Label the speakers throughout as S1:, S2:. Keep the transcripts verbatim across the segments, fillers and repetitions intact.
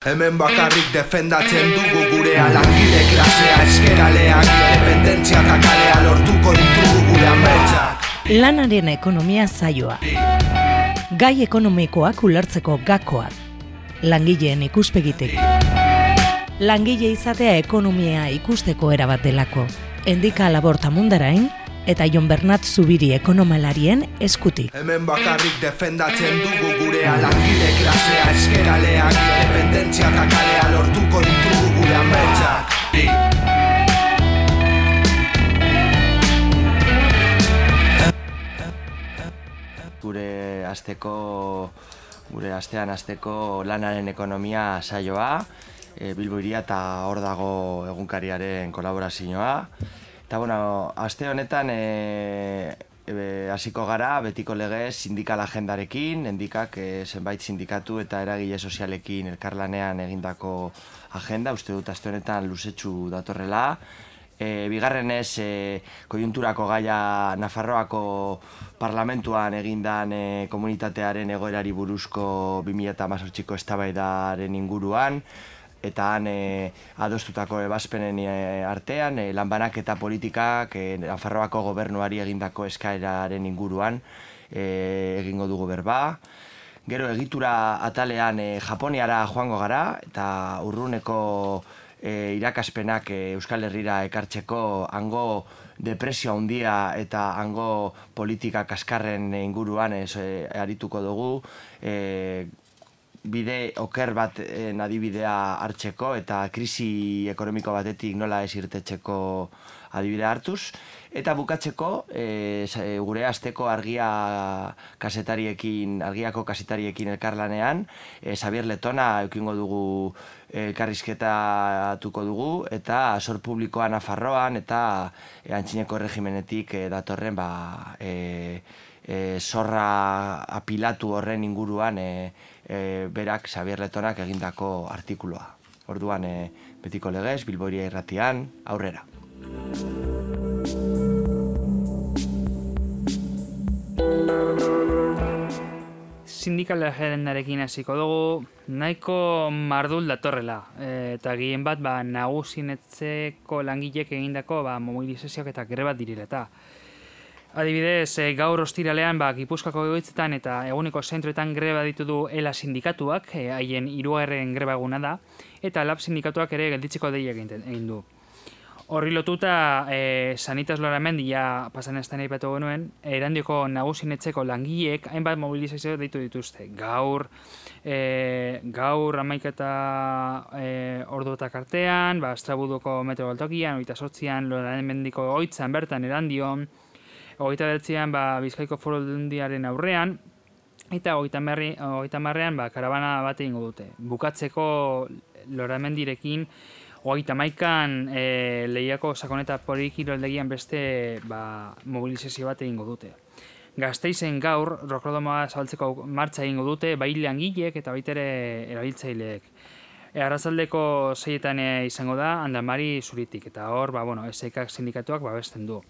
S1: Hemen bakarrik defendatzen dugu gurea, langile klasea, eskeraleak, independentzia eta kalea lortuko ditugu gure ametsak.
S2: Lanaren ekonomia saioa. Gai ekonomikoak ulertzeko gakoak. Langileen ikuspegitik. Langile izatea ekonomia ikusteko erabat delako. Endika Laborta Mundarain eta Jon Bernat Zubiri ekonomalarien eskutik.
S1: Hemen bakarrik defendatzen dugu gurea, langile klasea, eskeraleak, independentzia eta kalea lortuko ditugu gure ametsak.
S3: Gure asteko, gure astean asteko lanaren ekonomia saioa, e, Bilbo Hiria eta hor dago egunkariaren kolaborazioa. Eta bueno, aste honetan e, e, hasiko gara betiko legez sindikal agendarekin, endikak e, zenbait sindikatu eta eragile sozialekin elkarlanean egindako agenda, uste dut aste honetan luzetxu datorrela. E, bigarrenez, e, koiunturako gaia Nafarroako parlamentuan egindan e, komunitatearen egoerari buruzko bi mila hemezortziko eztabaidaren inguruan, eta han e, adostutako ebazpenen e, artean, e, lanbanak eta politikak e, Nafarroako gobernuari egindako eskaeraren inguruan e, egingo dugu berba. Gero egitura atalean e, Japoniara joango gara, eta urruneko e, irakaspenak e, Euskal Herrira ekartzeko hango depresio handia eta hango politika kaskarren inguruan ez, e, arituko dugu, e, bide oker bat adibidea hartzeko eta krisi ekonomiko batetik nola ez irtetzeko adibidea hartuz. Eta bukatzeko, e, gure asteko argia kasetariekin, argiako kasetariekin elkarlanean, e, Xabier Letona eukingo dugu elkarrizketatuko dugu, eta sor publikoa Nafarroan eta e, antzineko erregimenetik e, datorren ba, e, e, zorra apilatu horren inguruan e, e, berak Xabier Letonak egindako artikuloa. Orduan e, betiko legez, Bilbo Hiria irratian, aurrera.
S4: Sindikal agendarekin hasiko dugu, nahiko mardul datorrela, e, eta gehien bat ba, nagusinetzeko langilek egindako ba, mobilizazioak eta greba direla eta. Adibidez, e, gaur ostiralean ba, Gipuzkoako egoitzetan eta eguneko zentroetan greba ditu du ELA sindikatuak, e, haien hirugarren greba eguna da, eta LAB sindikatuak ere gelditzeko deia egin du. Horri lotuta, e, Sanitas Loramendi ja pasan estan aipatu genuen, Erandioko nagusinetzeko langileek hainbat mobilizazio deitu dituzte. Gaur, e, gaur hamaika eta e, orduotak artean, ba, Estrabuduko metro galtokian, hogeita zortzian Loramendiko egoitzan bertan Erandion, hogeita bederatzian ba, Bizkaiko Foru Aldundiaren aurrean, eta hogeita hamarrean ba, karabana bat egingo dute. Bukatzeko Loramendirekin, hogeita hamaikan e, Lehiako sakoneta polikiroldegian beste ba, mobilizazio bat egingo dute. Gasteizen gaur, rokrodomoa zabaltzeko martxa egingo dute, bai langileek eta baita ere erabiltzaileek. E, arratsaldeko seietan izango da, Andamari Zuritik, eta hor, ba, bueno, S K sindikatuak babesten du.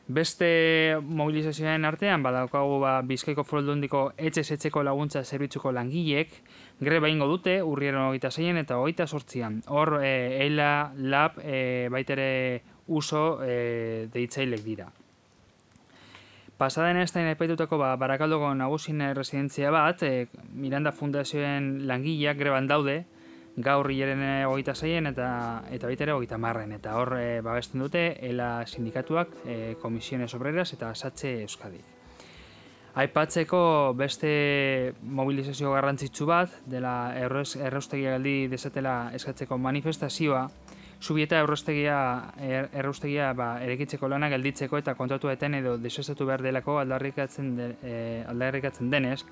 S4: Beste mobilizazioen artean, badaukagu ba, Bizkaiko Foru Aldundiko etxez etxeko laguntza zerbitzuko langileek, greba egingo dute, urriaren hogeita zeian eta hogeita zortzian. Hor, e, ELA, LAB, e, baitere uso e, deitzailek dira. Pasaden estain aipatutako ba, Barakaldoko nagusin residentzia bat, e, Miranda Fundazioen langileak greban daude, gaur hilaren hogeita zeian eta, eta baitere hogeita marren. Eta hor e, babesten dute ELA sindikatuak, e, Komisiones Obreras eta Satxe Euskadi. Aipatzeko beste mobilizazio garrantzitsu bat, dela erraustegia galdi dezatela eskatzeko manifestazioa, Zubieta erraustegia, er, erraustegia ba, erekitzeko lana gelditzeko eta kontratuetan edo desestatu behar delako aldarrikatzen, de, e, aldarrikatzen denez,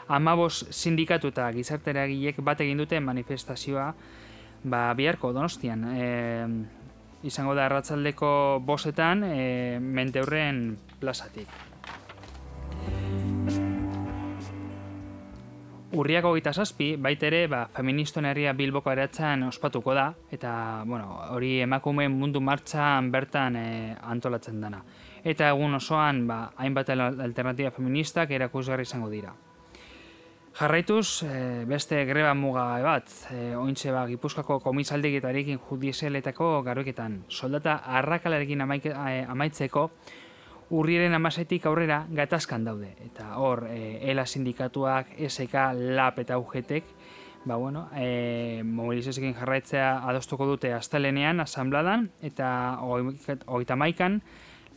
S4: hamabost sindikatu eta gizarte eragileek bat egin dute manifestazioa ba, biharko Donostian. E, izango da arratsaldeko bostetan e, Menteurren plazatik. Urriak hogeita zazpi, baitere, ba, Feministon Herria Bilboko eratzan ospatuko da, eta bueno, hori emakumeen mundu martxan bertan e, antolatzen dana. Eta egun osoan, ba, hainbat alternatiba feministak erakusgarri izango dira. Jarraituz, e, beste greba muga bat, e, ointxe ba, Gipuzkoako komisaldegitarekin judizialetako garroiketan. Soldata arrakalarekin amaike, e, amaitzeko urriaren hamaseitik aurrera gatazkan daude. Eta hor, e, ELA sindikatuak, S K, LAB eta U G T ek, ba, bueno, e, mobilizazioekin jarraitzea adostuko dute astelenean, asambladan, eta hogeita hamaikan,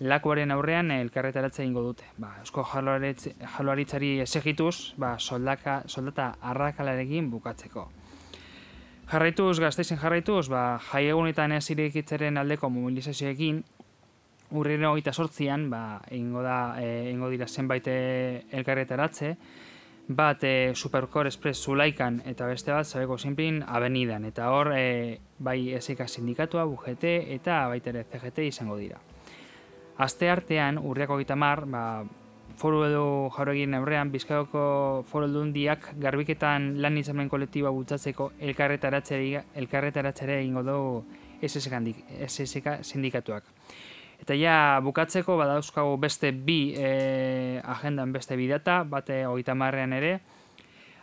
S4: lakuaren aurrean elkarretaratzea egingo dute. Ba, Eusko Jaurlaritzari esegituz, ba, soldaka, soldata arrakalarekin bukatzeko. Jarraituz, Gasteizen jarraituz, ba, jaiegunetan ez irekitzaren aldeko mobilizazioekin, urriaren hogeita zortzian, ba, egingo da, e, egingo dira zenbait elkarretaratze, bat e, Supercore Express Zulaikan eta beste bat Zabeko Sinplin Avenidan. Eta hor, e, bai S K sindikatua, U G T eta baita ere C G T izango dira. Aste artean, urriako hogeita hamar, ba, foru edo jauregien aurrean, Bizkaiko foru aldundiak garbiketan lan hitzarmen kolektiboa bultzatzeko elkarretaratzea egingo du S S K sindikatuak. Eta ja bukatzeko badauzkagu beste bi e, agendan beste bi data, bate hogeita hamarrean ere,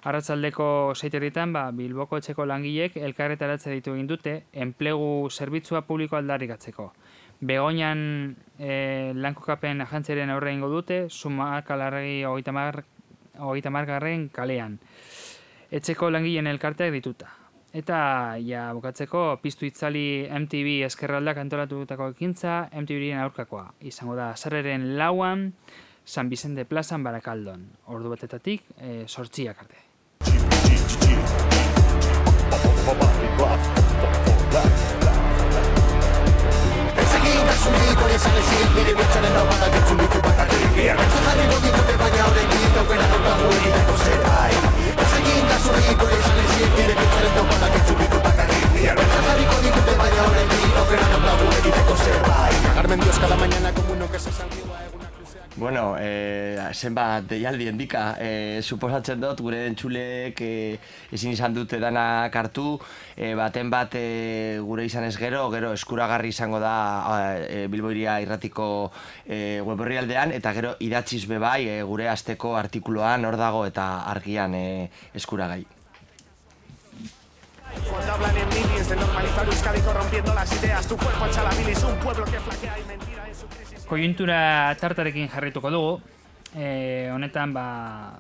S4: arratsaldeko seiterritan ba, Bilboko etxeko langilek elkarretaratzea ditu egin dute enplegu zerbitzua publiko aldarrikatzeko. Begoñan e, lankokapen agentziaren aurre egingo dute, Zumakalarregi hogeita hamargarren kalean. Etxeko langileen elkarteak dituta. Eta ja bukatzeko piztu itzali M T V eskerraldak antolatutako ekintza, M T V-ren aurkakoa. Izango da azarreren lauan, San Vicente plazan Barakaldon. Ordu batetatik, e, sortziak arte.
S3: Bueno, eh, zenbat deialdi endika, eh, suposatzen dut gure entzuleek eh, ezin izan dute danak hartu, eh, baten bat eh, gure izan ez gero, gero eskuragarri izango da eh, Bilbo Hiria Irratiko eh, web orrialdean, eta gero idatziz bebai eh, gure asteko artikuluan hor dago eta argian eh, eskuragai.
S5: Cuando hablan en minis de normalizar Euskadi corrompiendo las ideas, tu cuerpo echa la bilis, un pueblo que flaquea y mentira en su crisis.
S4: Koiuntura tartarekin jarrituko dugu. E, honetan, ba,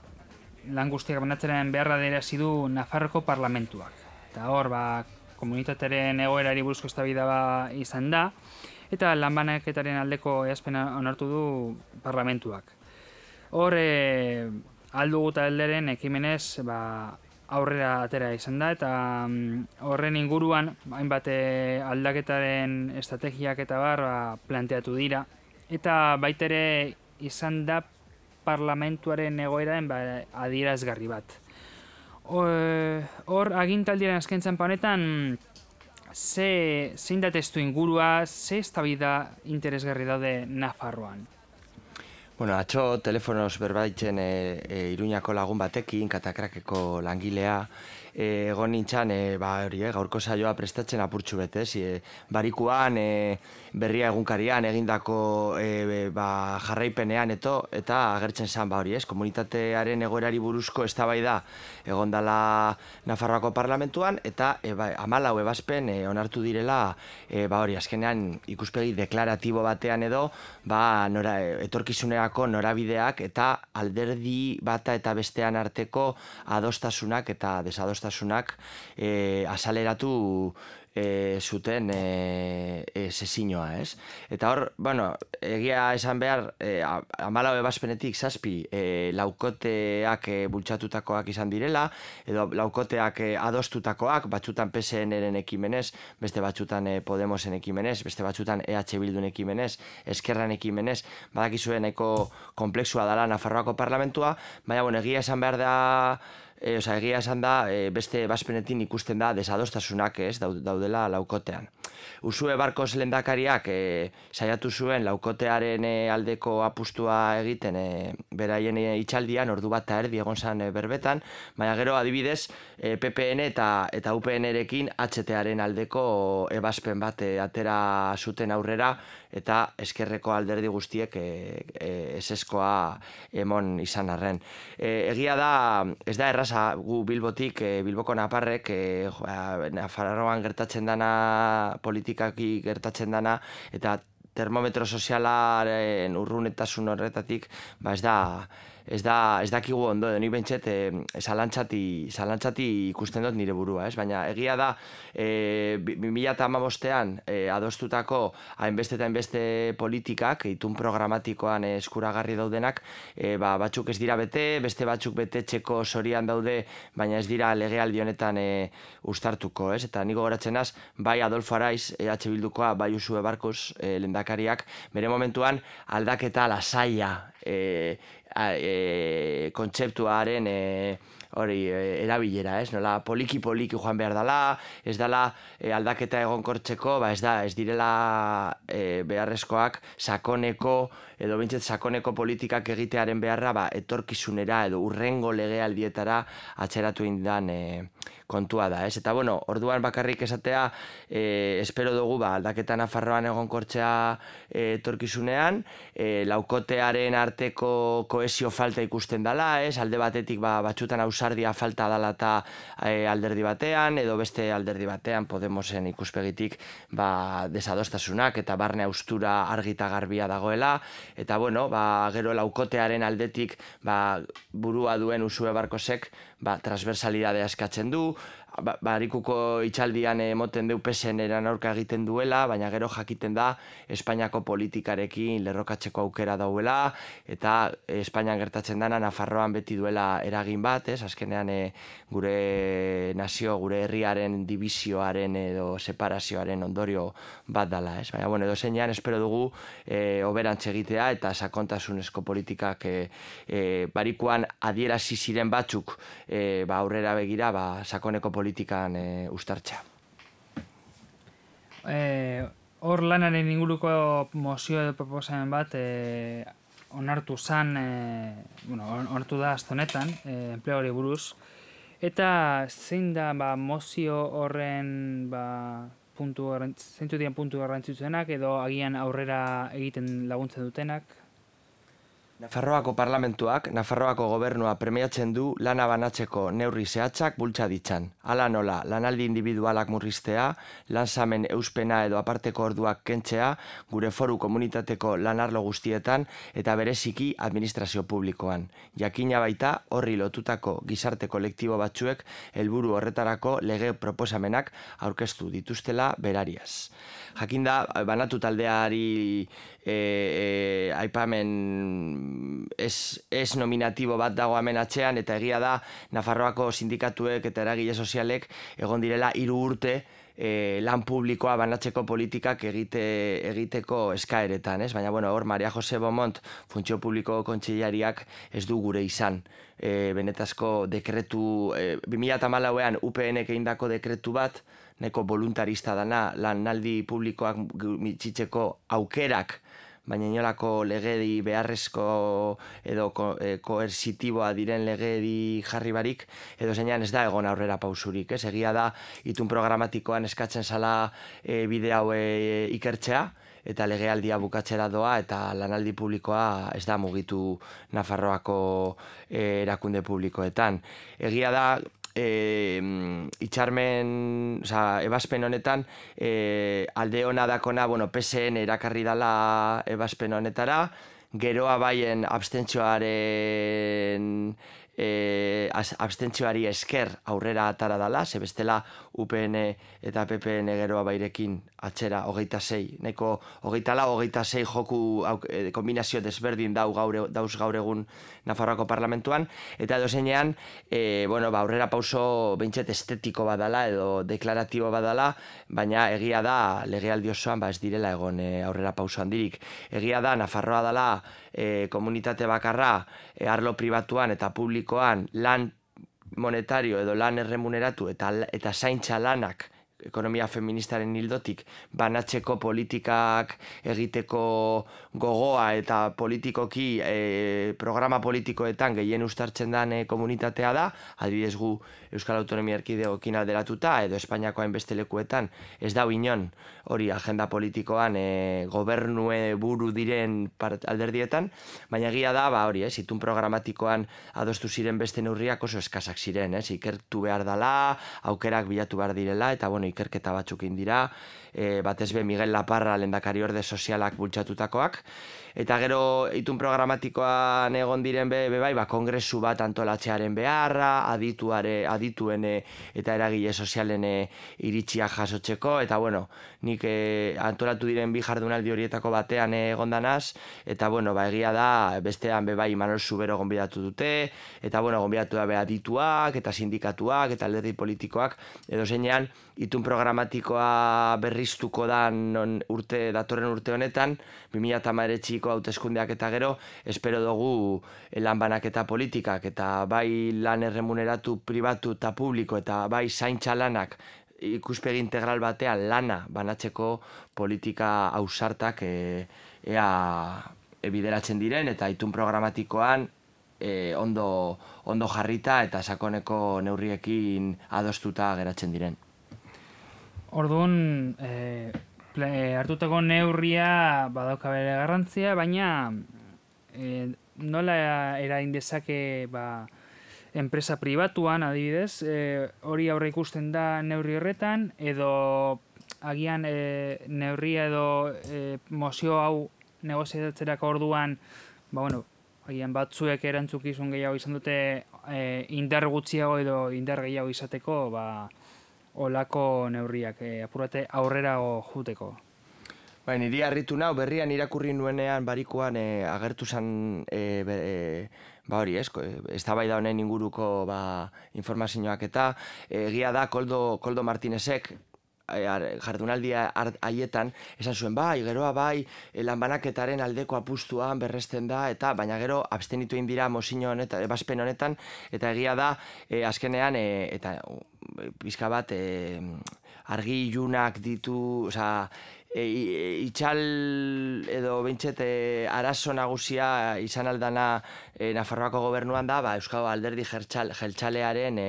S4: lan guztiak banatzaren beharra dirazi du Nafarroko parlamentuak. Eta hor, ba, komunitatearen egoerari buruzko eztabaida ba izan da, eta lanbanaketaren aldeko ehazpena onartu du parlamentuak. Hor, e, aldugu talderen ekimenez, ba, aurrera atera izan da, eta horren inguruan hainbat aldaketaren estrategiak eta bar ba, planteatu dira. Eta baitere izan da parlamentuaren egoeraren ba, adierazgarri bat. Hor agintaldiaren azkentzan honetan ze zein da testu ingurua, ze eztabaida interesgarri daude Nafarroan.
S3: Bueno, atzo telefonoz berbaitzen e, e, Iruñako lagun batekin, Katakrakeko langilea, e, egon nintzen, e, ba, hori, e, gaurko saioa prestatzen apurtxu betez, e, barikuan, e, berria egunkarian egindako e, ba, jarraipenean eto, eta agertzen zen, ba, hori, ez, komunitatearen egoerari buruzko eztabaida egon dela Nafarroako parlamentuan, eta e, ba, hamalau ebazpen e, onartu direla, e, ba, hori, azkenean ikuspegi deklaratibo batean edo, ba, nora, etorkizunerako norabideak eta alderdi bata eta bestean arteko adostasunak eta desadostasunak e, azaleratu e, zuten e, e, sezinoa, ez? Eta hor, bueno, egia esan behar, e, hamalau ebazpenetik zazpi e, laukoteak e, bultzatutakoak izan direla, edo laukoteak e, adostutakoak, batzutan P S N-ren ekimenez, beste batzutan e, Podemosen ekimenez, beste batzutan E H Bildun ekimenez, Eskerran ekimenez, badakizue nahiko komplexua dela Nafarroako parlamentua, baina, bueno, egia esan behar da, E, oza, egia esan da, e, beste ebazpenetin ikusten da desadostasunak ez daudela laukotean. Usue Barkos lehendakariak e, saiatu zuen laukotearen e, aldeko apustua egiten e, beraien e, itxaldian, ordu bat eta erdi egon zan e, berbetan, baina gero adibidez e, P P N eta, eta U P N-erekin H T-aren aldeko ebazpen bat e, atera zuten aurrera, eta eskerreko alderdi guztiek e, e, eseskoa emon izan arren. E, egia da, ez da erraza gu Bilbotik, e, Bilboko naparrek, e, Nafarroan gertatzen dana, politikaki gertatzen dana, eta termometro sozialaren urrunetasun horretatik, ba ez da, ez da, ez dakigu ondo, edo nik bentset, e, zalantzati, zalantzati ikusten dut nire burua, ez? Baina egia da, e, bi mila hamabostean e, adostutako hainbeste eta hainbeste politikak, itun programatikoan e, eskuragarri daudenak, e, ba, batzuk ez dira bete, beste batzuk betetzeko sorian daude, baina ez dira legealdi honetan e, uztartuko, ez? Eta niko goratzen az, bai Adolfo Araiz, E H Bildukoa, bai Usue Barkos e, lehendakariak, bere momentuan aldaketa lasaia, e, A, e, kontzeptuaren e, hori e, erabilera, ez? Nola poliki-poliki joan behar dela, ez dela e, aldaketa egonkortzeko, ba ez da, ez direla e, beharrezkoak sakoneko, edo bintzet sakoneko politikak egitearen beharra, ba, etorkizunera edo urrengo legealdietara atzeratu indan e, kontua da, ez? Eta bueno, orduan bakarrik esatea, e, espero dugu ba, aldaketa Nafarroan egonkortzea e, etorkizunean, e, laukotearen arteko koesio falta ikusten dela, ez? Alde batetik ba, batxutan ausardia falta dela eta e, alderdi batean, edo beste alderdi batean Podemosen ikuspegitik ba, desadostasunak eta barne austura argita garbia dagoela, eta bueno, ba, gero laukotearen aldetik ba, burua duen Usue Barkosek ba, transversalidadea eskatzen du, ba, barikuko itxaldian emoten deu P S N-eran aurka egiten duela, baina gero jakiten da Espainiako politikarekin lerrokatzeko aukera dauela, eta Espainian gertatzen dana Nafarroan beti duela eragin bat, ez? Azkenean e, gure nazio, gure herriaren divisioaren edo separazioaren ondorio bat dala, ez? Baina, bueno, edo zeinean espero dugu e, oberantz egitea eta sakontasunezko politikak e, e, barikuan adierazi ziren batzuk e, ba, aurrera begira ba, sakoneko politikan e, ustartzea.
S4: Eh, hor lanaren inguruko mozio edo proposamen bat e, onartu zan, e, bueno, onartu da aztonetan, e, enpleguari buruz, eta zein da ba, mozio horren ba, puntu, zeintzu dian puntu garrantzitsuenak edo agian aurrera egiten laguntzen dutenak?
S3: Nafarroako parlamentuak, Nafarroako gobernua premiatzen du lana banatzeko neurri zehatzak bultza ditzan. Hala nola, lanaldi individualak murriztea, lansamen euspena edo aparteko orduak kentzea, gure foru komunitateko lanarlo guztietan eta bereziki administrazio publikoan. Jakina baita horri lotutako gizarte kolektibo batzuek helburu horretarako lege proposamenak aurkeztu dituztela berariaz. Jakinda, banatu taldeari e, e, aipamen ez, ez nominatibo bat dago hemen atzean, eta egia da Nafarroako sindikatuek eta eragile sozialek egon direla hiru urte e, lan publikoa banatzeko politikak egite, egiteko eskaeretan, ez? Baina, bueno, hor Maria Jose Beaumont, Funtzio Publiko Kontseilariak ez du gure izan. E, benetazko dekretu, e, bi mila hamalauean U P N-ek egindako dekretu bat, neko voluntarista dana, lanaldi publikoak mitzitzeko aukerak, baina inolako legedi beharrezko edo ko, e, koersitiboa diren legedi jarri barik, edo zeinan ez da egon aurrera pausurik, ez? Egia da, itun programatikoan eskatzen zala e, bide hau e, ikertzea, eta legealdia bukatzera doa, eta lanaldi publikoa ez da mugitu Nafarroako e, erakunde publikoetan. Egia da, E, itxarmen, oza, ebazpen honetan e, alde hona dakona, bueno, P S N erakarri dala ebazpen honetara, geroa baien abstentzioaren e, abstentzioari esker aurrera atara dala, ze bestela U P N eta P P N geroa bairekin atzera hogeita sei, neko hogeita lau, hogeita sei joku e, kombinazio desberdin dau gaur, dauz gaur egun Nafarroako parlamentuan, eta edo zeinean, e, bueno, ba, aurrera pauso behintzet estetiko badala edo deklaratibo badala, baina egia da legealdi osoan ba, ez direla egon e, aurrera pauso handirik. Egia da Nafarroa dala e, komunitate bakarra e, arlo pribatuan eta publikoan lan monetario edo lan erremuneratu eta, eta zaintza lanak ekonomia feministaren hildotik banatzeko politikak egiteko gogoa eta politikoki e, programa politikoetan gehien uztartzen den e, komunitatea da, adibidez gu Euskal Autonomia Erkidegoekin alderatuta edo Espainiako hainbeste lekuetan ez da inon hori agenda politikoan e, gobernue buru diren alderdietan, baina egia da, ba hori, ez, itun programatikoan adostu ziren beste neurriak oso eskasak ziren, ez, ikertu behar dela, aukerak bilatu behar direla, eta bueno, ikerketa batzuk dira, e, batez be Miguel Laparra lehendakari orde sozialak bultzatutakoak, eta gero itun programatikoan egon diren be, be bai, ba, kongresu bat antolatzearen beharra, adituare, adituen e, eta eragile sozialen e, iritsiak jasotzeko, eta bueno, nik e, antolatu diren bi jardunaldi horietako batean e, egondanaz, eta bueno, ba, egia da, bestean be bai Manuel Zubero gonbidatu dute, eta bueno, gonbidatu da be adituak, eta sindikatuak, eta alderdi politikoak, edo zeinean, itun programatikoa berriztuko da non urte, datorren urte honetan, bi mila hemeretziko hauteskundeak eta gero, espero dugu lan banaketa politikak, eta bai lan erremuneratu pribatu eta publiko, eta bai zaintza lanak ikuspegi integral batean lana banatzeko politika ausartak e, ea bideratzen diren, eta itun programatikoan e, ondo, ondo jarrita eta sakoneko neurriekin adostuta geratzen diren.
S4: Orduan, e, hartutako neurria badauka bere garrantzia, baina e, nola erain dezake ba, enpresa pribatuan, adibidez, e, hori aurre ikusten da neurri horretan, edo agian e, neurria edo e, mozio hau negoziatzerako orduan, ba, bueno, agian batzuek erantzukizun gehiago izan dute e, indar gutxiago edo indar gehiago izateko, ba, olako neurriak, e, apurate aurrera juteko.
S3: Ba, niri harritu nau, berrian irakurri nuenean barikoan e, agertu zen e, e, ba hori, ez, eztabaida honen inguruko ba, informazioak eta egia da Koldo, Koldo Martinezek jardunaldia haietan esan zuen bai, geroa bai, lanbanaketaren aldeko apustuan berresten da, eta baina gero abstenitu egin dira mozio honetan, ebazpen honetan, eta egia da, e, azkenean, e, eta pizka bat, e, argi ilunak ditu, oza, E, itxal edo bintxet e, arazo nagusia izan aldana e, Nafarroako gobernuan da, ba, Euskal Alderdi Jeltzalearen e,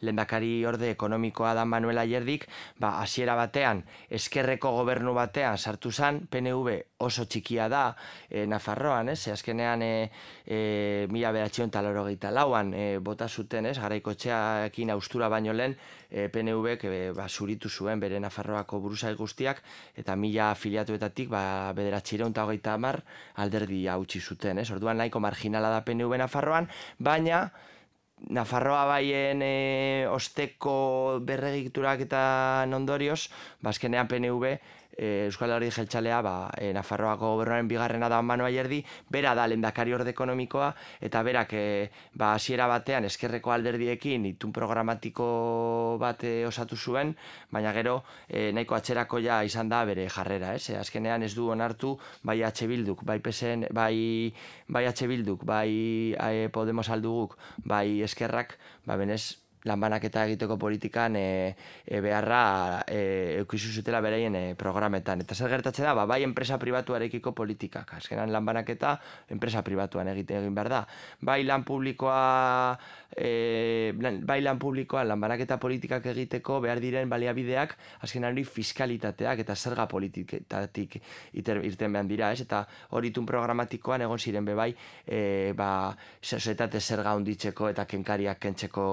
S3: lehendakari orde ekonomikoa da Manuel Ayerdik, ba, hasiera batean, eskerreko gobernu batean sartu zen, P N V oso txikia da e, Nafarroan, ez, azkenean e, e, mila bederatziehun eta laurogeita lauan e, bota zuten, ez, Garaikotxearekin austura baino lehen, e, P N Vek e, ba, zuritu zuen bere Nafarroako buruzai guztiak, eta mila afiliatuetatik ba, bederatziehun eta hogeita hamar alderdi hautsi zuten, ez? Orduan nahiko marginala da P N V Nafarroan, baina Nafarroa baien e, osteko berregiturak eta ondorioz, bazkenean P N V E, Euskal Alderdi Jeltzalea ba, e, Nafarroako gobernuaren bigarrena da Manu Ayerdi, bera da lehendakari orde ekonomikoa, eta berak e, ba, hasiera batean eskerreko alderdiekin itun programatiko bat e, osatu zuen, baina gero e, nahiko atzerako ja izan da bere jarrera, ez? E, azkenean ez du onartu bai H Bilduk, bai P S N, bai, bai H Bilduk, bai e, Podemos alduguk, bai eskerrak, ba benez lanbanaketa egiteko politikan e, e, beharra e, eukizu zutela beraien e, programetan. Eta zer gertatzen da, ba, bai enpresa pribatuarekiko politikak. Azkenan lanbanaketa enpresa pribatuan egite egin behar da. Bai lan publikoa, e, bai lan publikoa lanbanaketa politikak egiteko behar diren baliabideak, azkenan hori fiskalitateak eta zerga politikatik irten behar dira, ez? Eta hori itun programatikoan egon ziren bebai, e, ba, sozietate zerga hunditzeko eta kenkariak kentzeko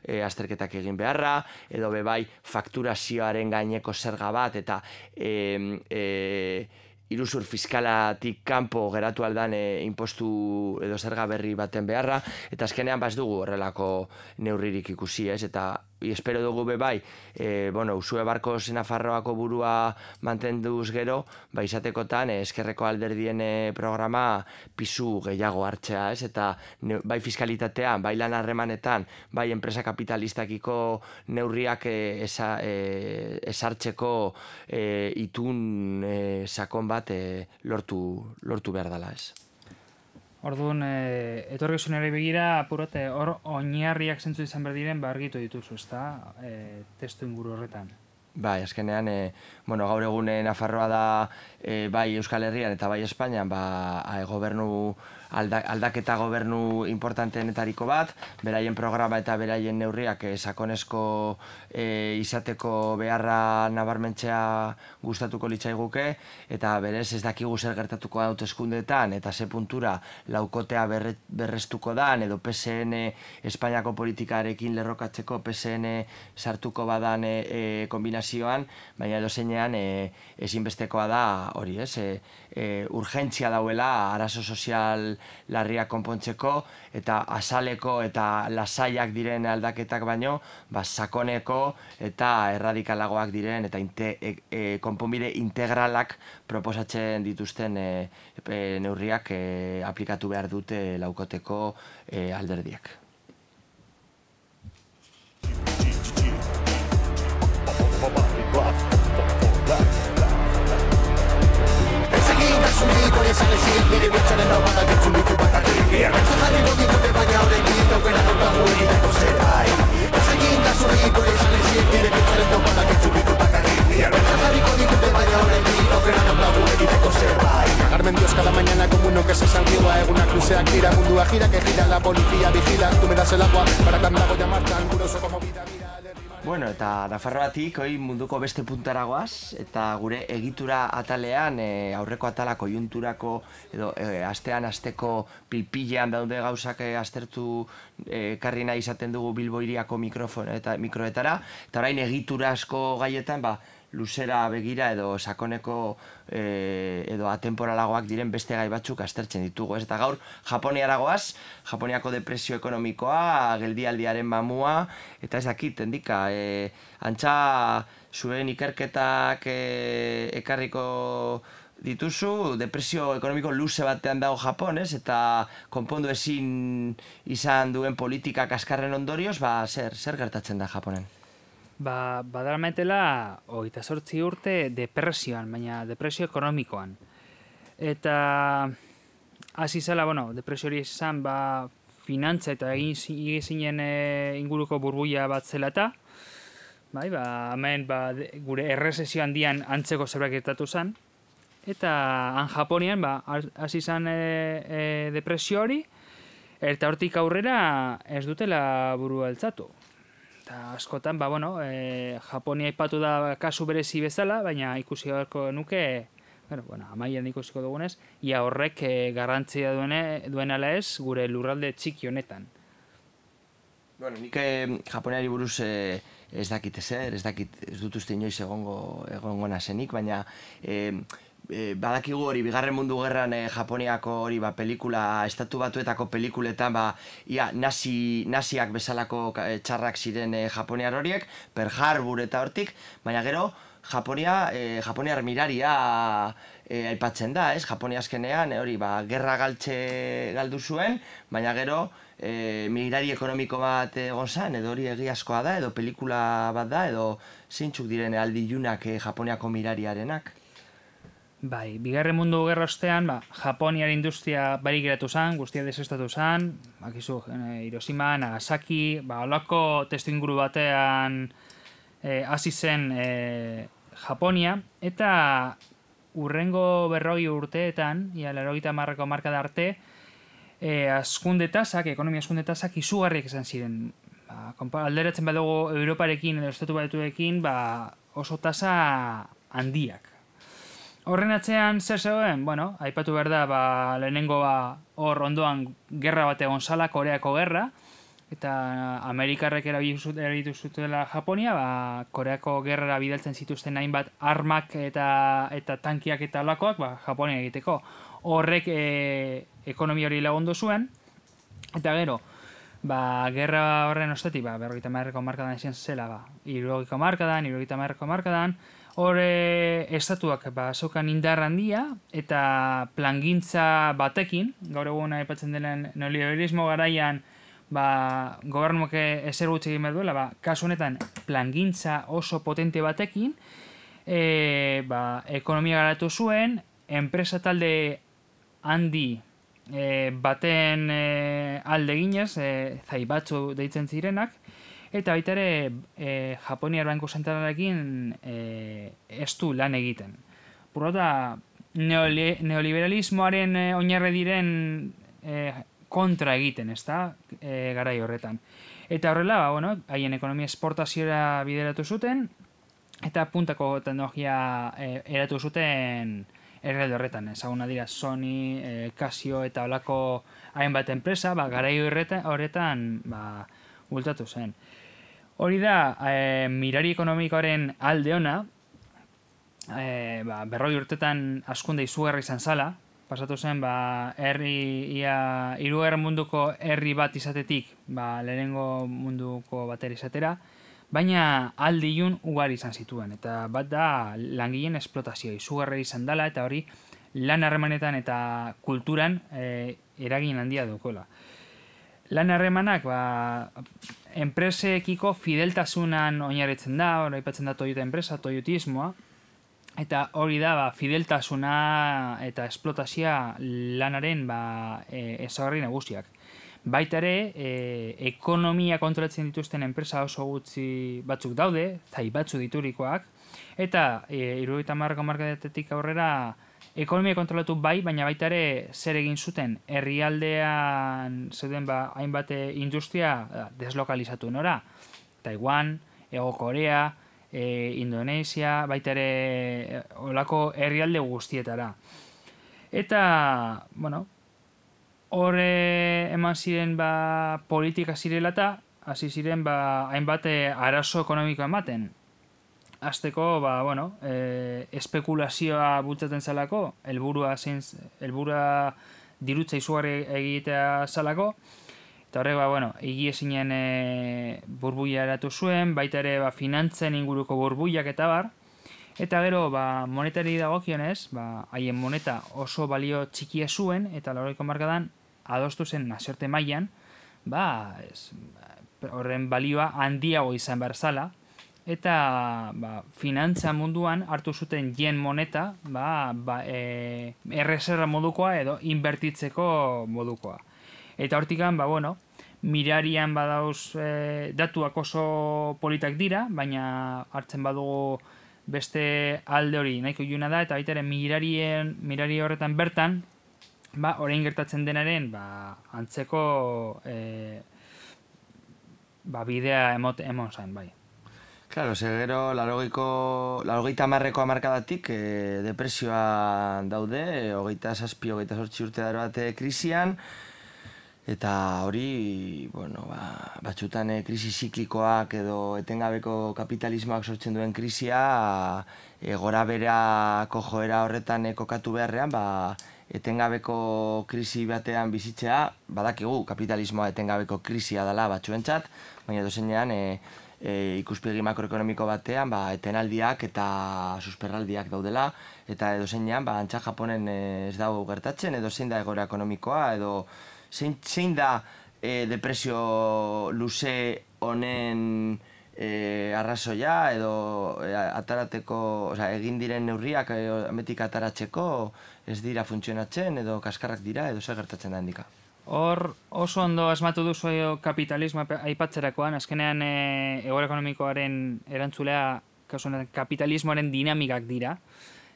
S3: e, azterketak egin beharra, edo bebai fakturazioaren gaineko zerga bat, eta e, e, iruzur fiskalatik kanpo geratu aldan e, impostu edo zerga berri baten beharra, eta azkenean baz dugu horrelako neurririk ikusi, ez? Eta espero dugu bebai, e, bueno, Usue Barkos Nafarroako burua mantenduz gero, ba izatekotan e, eskerreko alderdien e, programa pisu gehiago hartzea, ez? Eta ne, bai fiskalitatean, bai lan harremanetan, bai enpresa kapitalistakiko neurriak e, esa, e, esartzeko e, itun e, sakon bat e, lortu, lortu behar dela, ez?
S4: Orduan, e, etorkizunari begira, apurate, hor oinarriak zentzu izan behar diren, ba argitu dituzu, ezta, e, testu inguru horretan.
S3: Bai, azkenean, e, bueno, gaur egun Nafarroa da e, bai Euskal Herrian eta bai Espainian ba, a, gobernu, alda, aldaketa gobernu importanteenetariko bat, beraien programa eta beraien neurriak e, sakonezko e, izateko beharra nabarmentzea gustatuko litzaiguke, eta berez ez dakigu zer gertatuko da hauteskundeetan eta ze puntura laukotea berre, berrestuko dan, edo P S N Espainiako politikarekin lerrokatzeko P S N sartuko badan e, e, kombinazioan, baina edo zeinean e, ezinbestekoa da hori, ez? E, e, urgentzia dauela arazo sozial larriak konpontzeko eta azaleko eta lasaiak diren aldaketak baino, ba, sakoneko eta erradikalagoak diren eta inte, e, e, konponbide integralak proposatzen dituzten e, e, neurriak e, aplikatu behar dute laukoteko e, alderdiak.
S5: Carmen Dios cada mañana como uno que se santigua en una crucea gira, mundua gira que gira, la policía vigila, tú me das el agua para tan dago llamar tan curioso como vida, mira.
S3: Bueno, eta Nafarroatik hoi munduko beste puntaragoaz, eta gure egitura atalean, e, aurreko atala koiunturako, edo e, astean asteko pilpilean daude gauzak e, aztertu e, karri nahi izaten dugu Bilbo Hiriako mikrofon eta mikroetara, eta orain egitura asko gaietan, ba, luzera begira edo sakoneko e, edo atemporalagoak diren beste gai batzuk aztertzen ditugu, ez? Eta gaur Japoniaragoaz, Japoniako depresio ekonomikoa, geldialdiaren mamua, eta ez dakit, endika, e, antza zuen ikerketak e, ekarriko dituzu, depresio ekonomiko luze batean dago Japon, ez? Eta konpondu ezin izan duen politika kaskarren ondorioz, ba, zer, zer gertatzen da Japonen?
S4: Ba, badarametela hogeita zortzi urte depresioan, baina depresio ekonomikoan. Eta hasi zela, bueno, depresio hori izan, ba, finantza eta egin zinen e, inguruko burbuia bat zela eta, bai, ba, hemen ba, de, gure errezesio handian antzeko zerbait gertatu zen, eta han Japonian, ba, hasi zen e, e, depresio hori, eta hortik aurrera ez dutela burua altzatu. Eta askotan, ba, bueno, e, Japonia aipatu da kasu berezi bezala, baina ikusi beharko nuke, bueno, bueno, amaian ikusiko dugunez, ia horrek e, garrantzia duene, duenala ez gure lurralde txiki honetan.
S3: Bueno, nik eh, Japoniari buruz eh, ez dakit ezer, ez dakit, ez dut uste inoiz egongo, egongo nazenik, baina eh, E, badakigu hori, bigarren mundu gerran e, Japoniako hori ba, pelikula, estatu batuetako pelikuletan ba, ia, nazi, naziak bezalako e, txarrak ziren e, Japoniar horiek, Pearl Harbor eta hortik, baina gero Japonia, e, Japoniar miraria e, aipatzen da, ez? Japonia azkenean e, hori, ba, gerra galtze galdu zuen, baina gero e, mirari ekonomiko bat egon zen, edo hori egiazkoa da, edo pelikula bat da, edo zeintzuk diren aldi ilunak e, Japoniako mirariarenak.
S4: Bai, bigarren mundu gerra ostean, ba, Japoniar industria barik geratu zen, guztia desestatu zen, bakizu, Hiroshima, Nagasaki, ba, holako testuinguru batean hasi e, zen e, Japonia, eta urrengo berrogi urteetan, ia laurogeita hamarreko hamarkada arte, e, askunde tasak, ekonomia askunde tasak izugarriak izan ziren. Ba, alderatzen badugu Europarekin edo Estatu Batuekin, ba, oso tasa handiak. Horren atzean zer zegoen? Bueno, aipatu behar da, ba, lehenengo ba, hor ondoan gerra bat egon zala, Koreako gerra, eta Amerikarrek erabitu zutela Japonia, ba, Koreako gerrara bidaltzen zituzten hainbat armak eta eta tankiak eta olakoak, ba, Japonia egiteko. Horrek e, ekonomia hori lagundu zuen, eta gero, ba, gerra horren ostetik, ba, berrogeita hamarreko hamarkadan izan zela, ba, hirurogeiko hamarkadan, hirurogeita hamarreko hamarkadan, hore estatuak ba, zeukan indar handia eta plangintza batekin, gaur egun aipatzen denen neoliberalismo garaian ba, gobernuak ezer gutxi egin behar duela, ba, kasu honetan plangintza oso potente batekin, e, ba, ekonomia garatu zuen, enpresa talde handi e, baten e, alde ginez, e, zaibatzu deitzen zirenak, eta baita ere e, Japoniar Banku Zentralarekin e, ez du lan egiten. Burrota, neoli, neoliberalismoaren e, oinarri diren e, kontra egiten, ezta, e, garai horretan. Eta horrela, ba, bueno, haien ekonomia esportaziora bideratu zuten, eta puntako teknologia e, eratu zuten errealde horretan. Ezaguna dira Sony, e, Casio eta holako hainbat enpresa, ba, garai horretan, horretan ba, bultatu zen. Hori da, e, mirari ekonomikoaren alde ona, e, ba, berroi urtetan hazkunde izugarri izan zala, pasatu zen, ba, herri, ia, hirugarren munduko herri bat izatetik, ba, lehenengo munduko batera izatera, baina aldi ilun ugari izan zituen, eta bat da langileen esplotazioa izugarri izan dela, eta hori lan harremanetan eta kulturan e, eragin handia dukola. Lan harremanak, ba, enpresekiko fideltasunan oinarritzen da, hori aipatzen da Toyota enpresa, toyotismoa, eta hori da, ba, fideltasuna eta esplotazioa lanaren ba, e, ezaugarri nagusiak. Baita ere, e, ekonomia kontrolatzen dituzten enpresa oso gutxi batzuk daude, zai batzu diturikoak, eta e, hirurogeita hamarreko hamarkadetik aurrera ekonomia kontrolatu bai, baina baita ere zer egin zuten herrialdean zeuden ba, hainbat industria deslokalizatu nora. Taiwan, Hego Korea, e, Indonesia, baita ere olako herrialde guztietara. Eta, bueno, hor eman ziren ba, politika zirela eta hasi ziren ba, hainbat arazo ekonomiko ematen. Azteko, ba, bueno, e, espekulazioa bultzaten zalako, helburua zein, helburua dirutza izugarri egitea zalako, eta horrek, ba, bueno, higiezinen e, burbuila eratu zuen, baita ere, ba, finantzen inguruko burbuilak eta bar, eta gero, ba, monetari dagokionez, ba, haien moneta oso balio txikia zuen, eta laurogeiko hamarkadan adostu zen nazioarte mailan, ba, ez, horren balioa handiago izan behar zala, eta ba, finantza munduan hartu zuten yen moneta ba, ba, e, erreserra modukoa edo inbertitzeko modukoa. Eta hortikan, ba, bueno, mirarian badauz e, datuak oso politak dira, baina hartzen badugu beste alde hori nahiko iluna da, eta baita ere mirarien, mirari horretan bertan, ba, orain gertatzen denaren ba, antzeko e, ba, bidea emot, emon zain, bai.
S3: Claro, ze gero, laurogeita hamarreko hamarkadatik e, depresioa daude, e, hogeita zazpi, hogeita zortzi urte dara bat krisian, eta hori, bueno, ba, batzutan e, krisi ziklikoak edo etengabeko kapitalismoak sortzen duen krisia, e, gora berako joera horretan e, kokatu beharrean, ba, etengabeko krisi batean bizitzea, badakigu kapitalismoa etengabeko krisia dela batzuentzat, baina dozenean, e, E, ikuspegi makroekonomiko batean ba, etenaldiak eta susperraldiak daudela, eta edo zeinean ba, antza Japonen e, ez dago gertatzen, edo zein da egoera ekonomikoa, edo zein, zein da e, depresio luze honen e, arrazoia, edo e, atarateko, oza, egin diren neurriak e, ametik ataratzeko ez dira funtzionatzen, edo kaskarrak dira, edo zer gertatzen da handika.
S4: Hor oso ondo asmatu duzu kapitalismoa aipatzerakoan, azkenean e, egoera ekonomikoaren erantzulea kapitalismoaren dinamikak dira,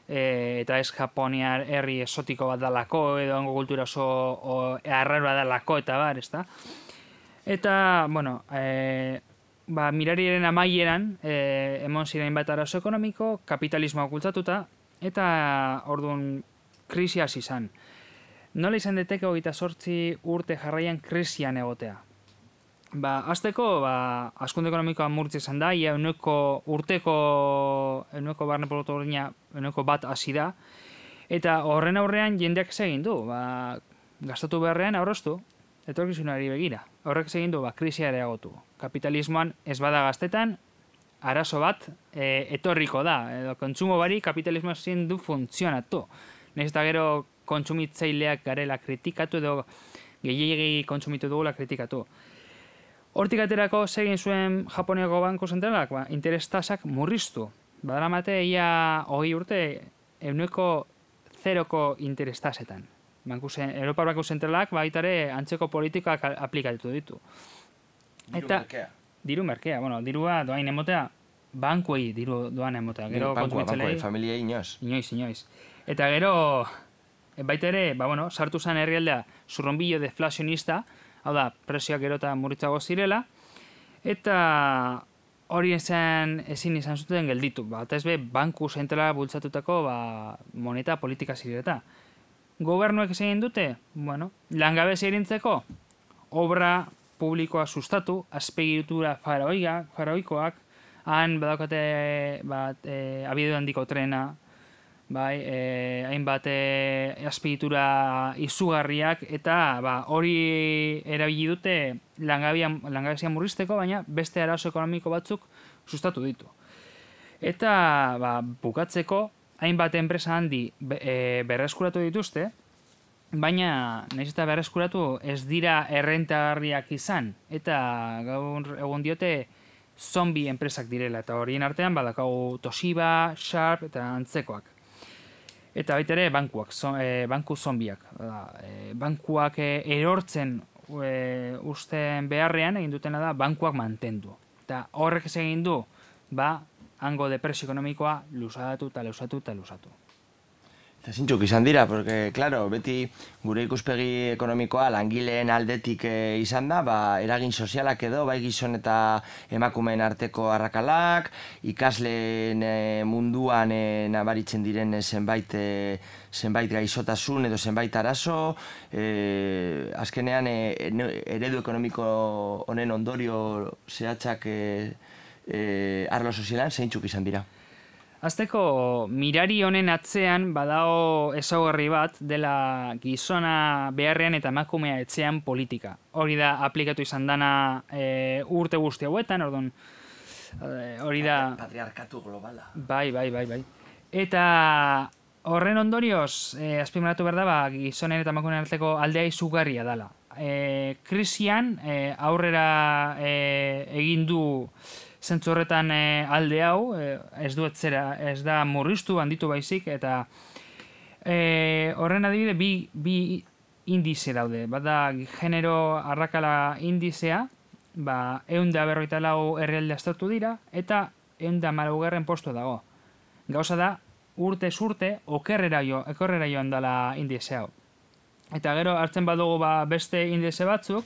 S4: e, eta ez Japoniar herri esotiko bat dalako, edo hango kultura oso arraroa dalako, eta bar, ezta? Eta, bueno, e, ba, mirariaren amaieran, e, emon ziren bat arazo ekonomiko, kapitalismoa okultatuta, eta orduan krisi hasi izan. Nola izan deteke hogeita zortzi urte jarraian krisian egotea? Ba, azteko, ba, hazkunde ekonomikoa murtze izan da, ia euneko urteko, euneko barne produktu gordina, euneko bat hasi da, eta horren aurrean jendeak egin du, ba, gastatu beharrean aurreztu, etorkizunari begira. Horrek egin du, ba, krisia areagotu. Kapitalismoan ez bada gaztetan, arazo bat e, etorriko da, edo kontsumo bari kapitalismoa ezin du funtzionatu. Nahiz eta gero kontsumitzaileak garela kritikatu edo gehiegi kontsumitu dugula kritikatu. Hortik aterako segin zuen Japoniako Banku Zentralak, ba, interes tasak murriztu. Badaramate ia hogei urte euneko zeroko interes tasetan. Europar Banku Zentralak baitare antzeko politikak aplikatu ditu. Eta diru merkea, bueno, dirua doain emotea, bankuei diru doan emotea. Gero
S3: bankua, bankuei, familia inoz.
S4: Inoiz, inoiz. Eta gero, baita ere, ba, bueno, sartu zen herrialdea zurronbillo deflazionista, hau da, prezioak gero eta murritzago zirela, eta hori esan, ezin izan zuten gelditu. Ba, eta ez be, banku zentrala bultzatutako ba, moneta politika zireta. Gobernuek egin dute, bueno, langabezia irintzeko, obra publikoa sustatu, azpiegitura faraoia, faraoikoak, han badaukate bat, e, abiadu handiko trena, bai, e, hainbat e, azpiegitura izugarriak, eta ba, hori erabili dute langabezia murrizteko, baina beste arazo ekonomiko batzuk sustatu ditu. Eta ba, bukatzeko, hainbat enpresa handi e, berreskuratu dituzte, baina nahiz eta berreskuratu ez dira errentagarriak izan, eta gaur egun diote zombi enpresak direla, eta horien artean badakagu Toshiba, Sharp eta antzekoak. Eta baita ere bankuak, zo, e, banku zombiak. E, bankuak e, erortzen e, usten beharrean egin dutena da bankuak mantendu. Eta horrek ez egin du, ba, hango depresio ekonomikoa lusatu eta lusatu eta lusatu.
S3: Eta zintzuk izan dira, porque, claro, beti gure ikuspegi ekonomikoa langileen aldetik e, izan da, ba, eragin sozialak edo, bai gizon eta emakumeen arteko arrakalak, ikasleen e, munduan e, nabaritzen diren zenbait, e, zenbait gaixotasun edo zenbait arazo, e, azkenean e, eredu ekonomiko honen ondorio zehatzak e, e, arlo sozialan zeintzuk izan dira.
S4: Azteko, mirari honen atzean badao ezaugarri bat dela gizona beharrean eta emakumea etxean politika. Hori da aplikatu izan dana e, urte guzti hauetan, orduan, e, hori da...
S3: Patriarkatu globala.
S4: Bai, bai, bai, bai. Eta horren ondorioz, e, azpimarratu behar da, ba, gizonen eta emakumeen arteko aldea izugarria dela. E, krisian e, aurrera e, egin du zentzu horretan e, alde hau, e, ez du etzera, ez da murriztu, handitu baizik, eta e, horren adibide bi, bi indize daude. Bat da, genero arrakala indizea, ba, ehun eta berrogeita lau herrialde aztertu dira, eta ehun eta hamalaugarren postu dago. Gauza da, urtez urte, okerrera jo, ekorrera joan dela indize hau. Eta gero, hartzen badugu ba, beste indize batzuk,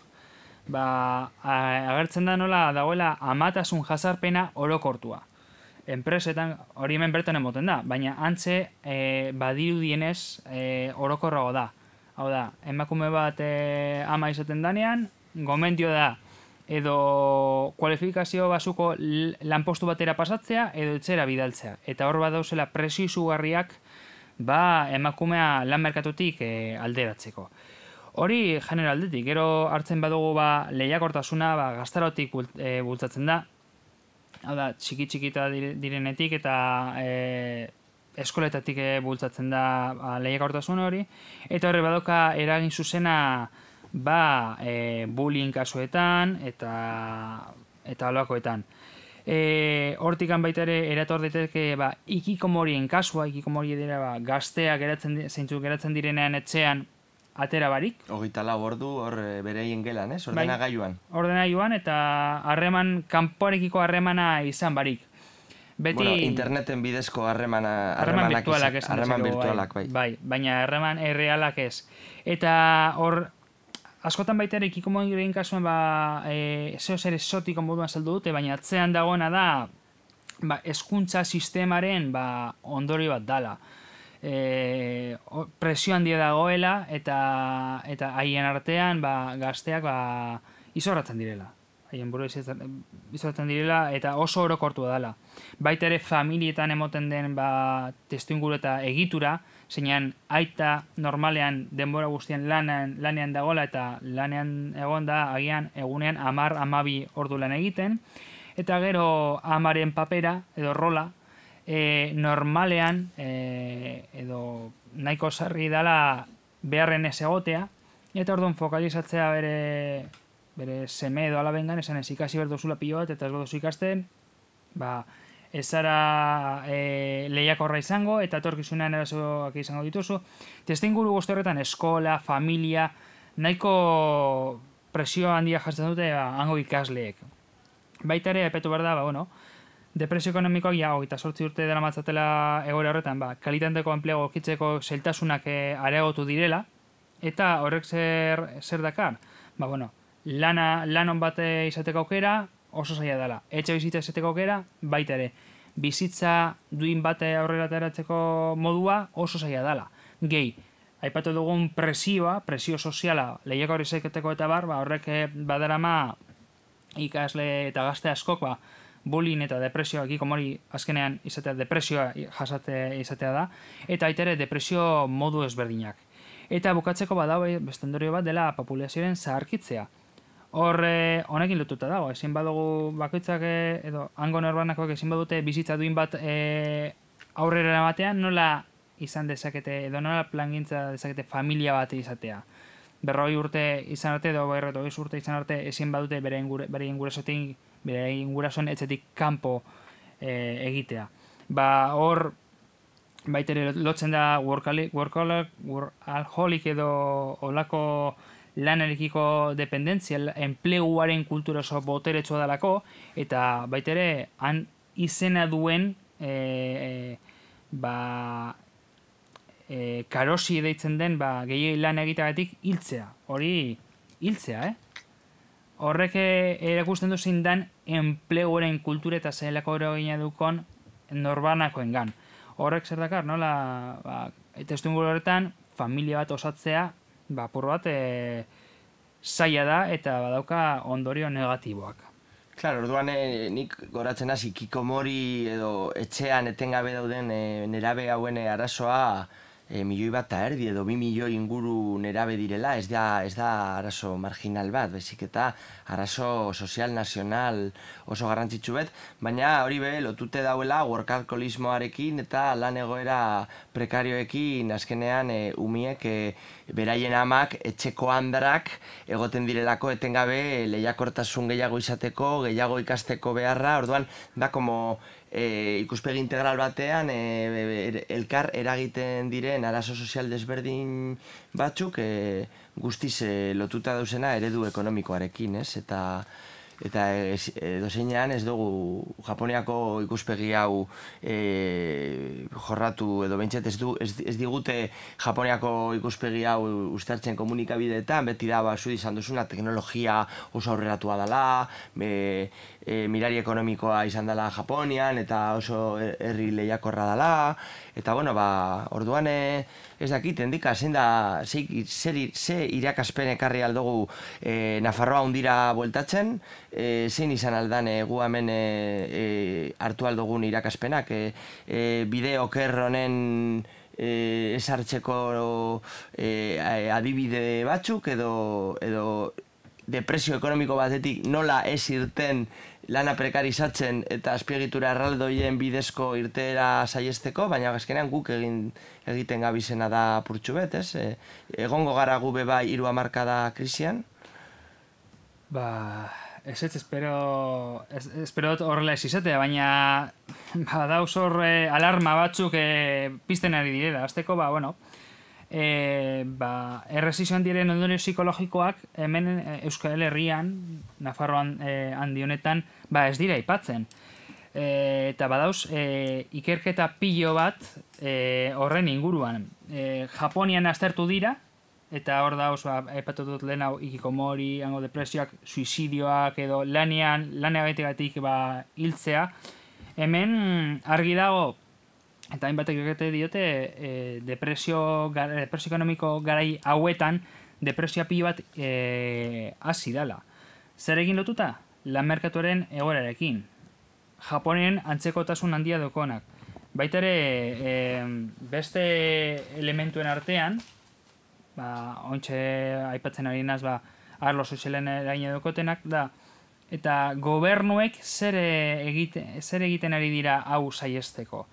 S4: ba, agertzen da nola dagoela amatasun jazarpena orokortua. Enpresetan hori hemen bertan emoten da, baina antze e, badirudienez e, orokorrago da. Hau da, emakume bat e, ama izaten danean, gomendio da edo kualifikazio basuko lanpostu batera pasatzea edo etxera bidaltzea. Eta hor bat dauzela presio izugarriak ba, emakumea lan merkatutik e, alderatzeko. Hori genero aldetik, gero hartzen badugu ba, lehiakortasuna ba, gaztarotik e, bultzatzen da. Hau da, txiki-txikita direnetik eta e, eskoletatik e, bultzatzen da ba, lehiakortasun hori. Eta horre badoka eragin zuzena ba, e, bullying kasuetan eta eta holakoetan. E, hortikan baita ere erator daiteke ba, ikikomorien kasua, ikikomori dira ba, gazteak geratzen, zeintzuk geratzen direnean etxean atera barik.
S3: Hogeita lau ordu hor bereien gelan, ez? Ordenagailuan.
S4: Bai, ordenagailuan eta harreman, kanpoarekiko harremana izan barik. Beti...
S3: Bueno, interneten bidezko harremana...
S4: Harreman virtualak ez.
S3: Harreman virtualak, bai.
S4: Bai, baina harreman errealak ez. Eta hor, askotan baita ere ikikomorien kasuan, ba, e, zeo zer esotiko moduan saldu dute, baina atzean dagoena da, ba, hezkuntza sistemaren ba, ondorio bat dala. E, presio handia dagoela eta eta haien artean ba, gazteak ba, izorratzen direla. Haien buru izorratzen direla eta oso orokortu dela. Baita ere familietan emoten den ba, testuinguru eta egitura, zeinan aita normalean denbora guztien lanean, lanean dagoela eta lanean egon da agian egunean hamar hamabi ordu lan egiten, eta gero amaren papera edo rola, E, normalean e, edo nahiko sarri dela beharren ez egotea, eta orduan fokalizatzea bere, bere seme edo alabengan, esan ez ikasi berdozula pilo bat, eta ez bedozu ikasten, ba, ez zara e, lehiakorra izango, eta etorkizunean erasoak izango dituzu. Testuinguru guzti horretan eskola, familia, nahiko presio handia jartzen dute ba, hango ikasleek. Baita ere, epetu behar da, ba, bueno, depresio ekonomikoak ja, hogeita zortzi urte dela matzatela egoera horretan, ba, kalitateko enplego okitzeko zailtasunak e, areagotu direla, eta horrek zer, zer dakar? Ba, bueno, lana, lanon bat izateko aukera oso zaila dela. Etxe bizitza izateko aukera, baita ere. Bizitza duin bate aurrera ateratzeko modua oso zaila dela. Gehi, aipatu dugun presioa, presio soziala, lehiako hori zeketeko eta bar, ba, horrek badarama ikasle eta gazte askok, ba, bullying eta depresioa, gikomori azkenean izatea depresioa jasate izatea da, eta aitere depresio modu ezberdinak. Eta bukatzeko badau beste ondorio bat dela populazioaren zaharkitzea. Hor, honekin lotuta dago, ezin badugu bakoitzak edo hango norbanakoak ezin badute bizitza duin bat e, aurrera batean, nola izan dezakete, edo nola plangintza dezakete familia bat izatea. Berroi urte izan arte, edo berroi urte izan arte ezin badute bere ingurasotik, bere ingurasoen etxetik kanpo e, egitea. Ba, hor, baitere lotzen da workaholic, workaholic edo olako lanarekiko dependentzia, enpleguaren kultura oso boteretsua dalako, eta baitere han izena duen e, e, ba, e, karosi deitzen den ba, gehiagin lan egiteagatik hiltzea. Hori hiltzea, eh? Horrek erakusten du zein dan enpleguaren kultura eta zelako eragina dukon norbanakoengan. Horrek zer dakar, nola, ba, testuinguru horretan, familia bat osatzea, ba, pur bat e, zaila da eta badauka ondorio negatiboak.
S3: Claro, orduan e, nik goratzen hasi kikomori edo etxean etengabe dauden e, nerabe hauen arazoa e, milioi bat eta erdi edo bi milioi inguru nerabe direla, ez da, ez da arazo marginal bat, bezik eta arazo sozial nazional oso garrantzitsu bet, baina hori be lotute dauela workaholismoarekin eta lan egoera prekarioekin azkenean e, umiek e, beraien amak etxeko handarak egoten direlako etengabe lehiakortasun gehiago izateko, gehiago ikasteko beharra, orduan da como e, ikuspegi integral batean e, elkar eragiten diren arazo sozial desberdin batzuk e, guztiz e, lotuta dauzena eredu ekonomikoarekin, ez? Eta eta edozeinean ez dugu Japoniako ikuspegi hau e, jorratu edo behintzat ez, du, ez, ez digute Japoniako ikuspegi hau uztartzen komunikabideetan, beti da ba, zu izan duzuna teknologia oso aurreratua dela, e, e, mirari ekonomikoa izan dela Japonian eta oso herri lehiakorra dela, eta bueno, ba, orduan e, ez dakit, endika, zein da, ze, ze, ze irakaspen ekarri aldugu e, Nafarroa hundira bueltatzen, e, zein izan aldan e, gu hemen e, e, hartu aldugun irakaspenak, e, e, bide oker honen e, ez hartzeko e, adibide batzuk edo, edo depresio ekonomiko batetik nola ez irten lana prekarizatzen eta azpiegitura erraldoien bidezko irteera saiesteko, baina azkenean guk egin, egiten gabizena da purtsu bet, ez? E, egongo gara gu beba hiru hamarkada krisian?
S4: Ba, ez ez, espero, ez, espero horrela ez izatea, baina ba, dauz hor eh, alarma batzuk eh, pizten ari direla. Azteko, ba, bueno, E, ba, erresizioan diren ondorio psikologikoak hemen e, Euskal Herrian, Nafarroan e, handi honetan, ba ez dira aipatzen. E, eta badauz, e, ikerketa pilo bat e, horren inguruan. E, Japonian aztertu dira, eta hor dauz, ba, aipatu dut lehen hau ikikomori, hango depresioak, suizidioak edo lanean, laneagatik ba, hiltzea. Hemen argi dago, eta hainbatek egite diote e, depresio, depresio ekonomiko garai hauetan depresioa pilo bat e, hasi dela. Zer egin lotuta? Lan merkatuaren egoerarekin. Japonien antzekotasun handia dokonak. Baita ere e, beste elementuen artean, ba, ointxe aipatzen ari naz, ba, arlo sozialen eraina dokotenak, da, eta gobernuek zer, egite, zer egiten ari dira hau saiesteko.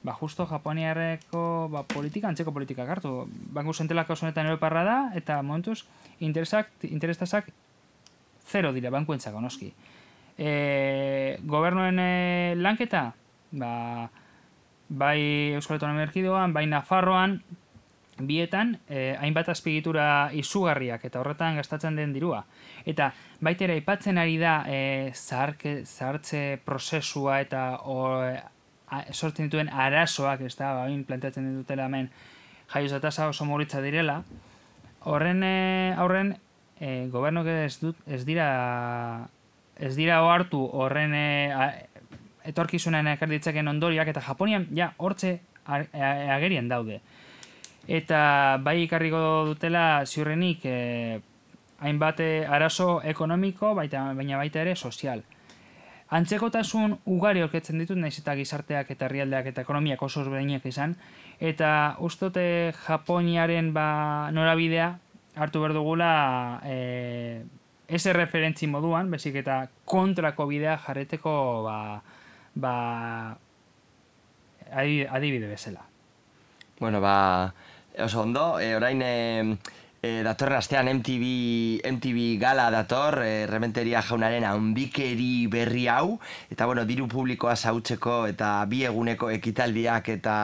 S4: Ba, justo Japoniarreko ba, politika, antzeko politikak hartu. Banku zentralak osonetan europarra da, eta momentuz, interesak, interestazak zero dira, bankuentzako noski. E, gobernuen e, lanketa, ba, bai Euskal Autonomia Erkidegoan, bai Nafarroan, bietan eh, hainbat azpiegitura izugarriak eta horretan gastatzen den dirua. Eta baita ere aipatzen ari da eh, zaharke, zahartze prozesua eta o, a, sortzen dituen arazoak, ez da, bain planteatzen ditutela hemen jaioza tasa oso murritza direla. Horren eh, aurren eh, gobernuk ez, dut, ez dira ez dira ohartu horren eh, etorkizunen ekar ditzakeen ondoriak, eta Japonian ja hortze agerian daude. Eta bai ikarriko dutela ziurrenik eh, hainbat arazo ekonomiko, baita, baina baita ere sozial. Antzekotasun ugari aurkitzen ditut, naiz eta gizarteak eta herrialdeak eta ekonomiak oso ezberdinak izan, eta ustote Japoniaren ba, norabidea hartu behar dugula eh, ez referentzi moduan, bezik eta kontrako bidea jarreteko ba, ba, adibide bezala.
S3: Bueno, ba, oso ondo, e, orain e, e, datorren astean M T V, M T V gala dator, e, Rementeria jaunaren handikeri berri hau, eta bueno, diru publikoa zautzeko eta bi eguneko ekitaldiak eta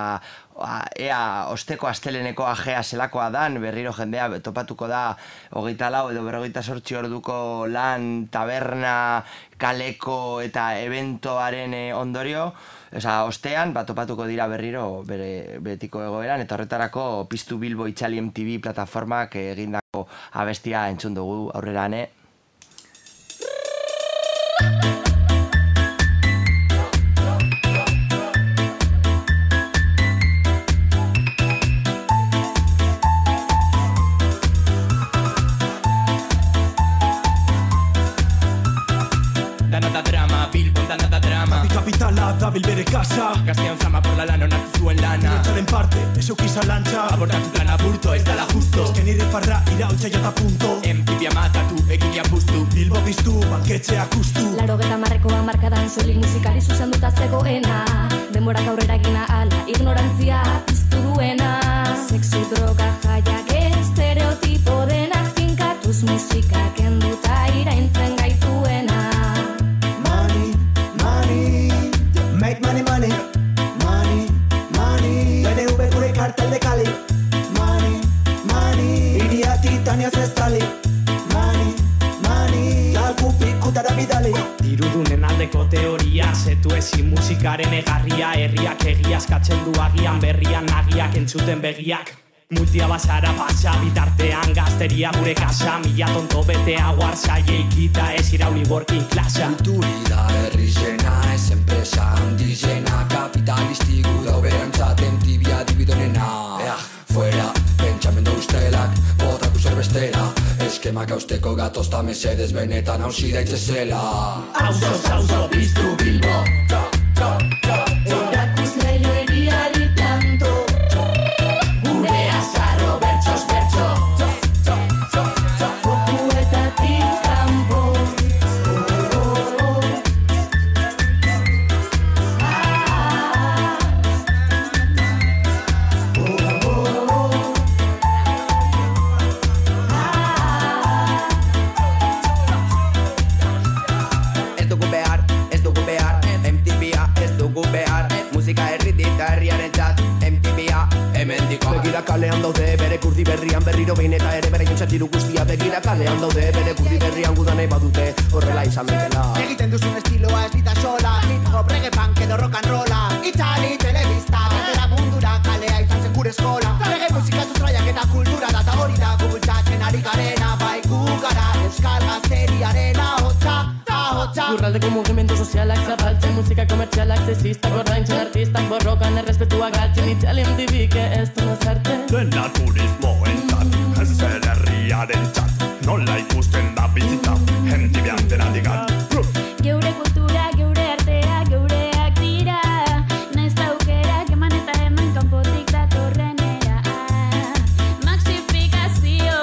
S3: ea osteko asteleneko ajea zelakoa dan, berriro jendea topatuko da hogeita lau edo berrogeita zortzi orduko lan, taberna, kaleko eta eventoaren ondorio, Osa, ostean, bat topatuko dira berriro bere betiko egoeran, eta horretarako Piztu Bilbo Itxali M T V plataformak egindako abestia entzun dugu aurrera ane.
S6: Kapitala dabil bere kasa
S7: Gaztean zama por la lana onartu zuen lana
S6: Direktaren parte, ez eukiza lantza
S7: Abordatu plan aburto, ez dala justo
S6: Ezken nire farra irautza jata punto
S7: Empibia matatu, eginia puztu
S6: Bilbo piztu, banketxeak ustu
S8: Laro geta marrekoa markadan soilik musikari zuzenduta zegoena Denborak aurrera gina ala, ignorantzia piztu duena Sexu, droga, jaiak, estereotipo denak finkatuz musika kenduta iraintzen gaituena
S6: Make money, money, money, money. B N V gure kartel de Cali. Money, money. Iria Titania zestali. Money, money. Lalku pikutara bidali.
S7: Dirudunen aldeko teoria, zetu ezin musikaren egarria, herriak egiazkatzen du agian, berrian nagiak entzuten begiak. Multia basara pasa, bitartean gazteria gure kasa, mila tonto betea guarzaile ikita ez irauli working klasa.
S9: Kulturida herri zena, ez enpresa handizena, kapitalistiku dauberantzat tibia dibidonena. Ea, fuera, pentsamendo ustelak, botaku zerbestera, eskemak hausteko gatozta mesedez benetan hausi daitzezela.
S7: Auzo, auzo, Piztu Bilbo, txo, txo, txo, txo.
S8: Erakuz leio eriari planto Gure azarro bertxos bertxo
S7: Txo, txo, txo.
S8: Fokuetatik kanpo
S9: Ez dugu behar, ez dugu behar, M T V-a ez dugu behar, musika herritik herriaren txat, M T V-a hemen diko.
S6: Begira kalean daude bere kurdi berrian berriro behin eta ere bere jontzatiru guztia. Begira kalean daude bere kurdi berrian gudan nahi badute horrela izan betela.
S5: Egiten duzun estiloa ez dita sola, hip hop, reggae punk edo rock and rolla. Itzali telebista, gatera mundura kalea izan zen gure eskola. Reggae musika sustraiak eta kultura da, eta hori da gubultzatzen ari garena. Bai gu gara euskal gazteriaren ahotsa, ahotsa.
S10: Lurraldeko mugimendu sozialak zabaltzen, musika komertzialak sexistak ordaintzen, artistak borrokan errespetua galtzen, Itxali M T V-ke ez du nazartzen.
S11: Dena turismoentzat, ez zer herriarentzat, nola ikusten da bizita, M T V antenadigan.
S8: Geure kultura, geure artea, geureak dira Naiz aukerak eman eta eman kanpotik datorrenera Maxifikazio,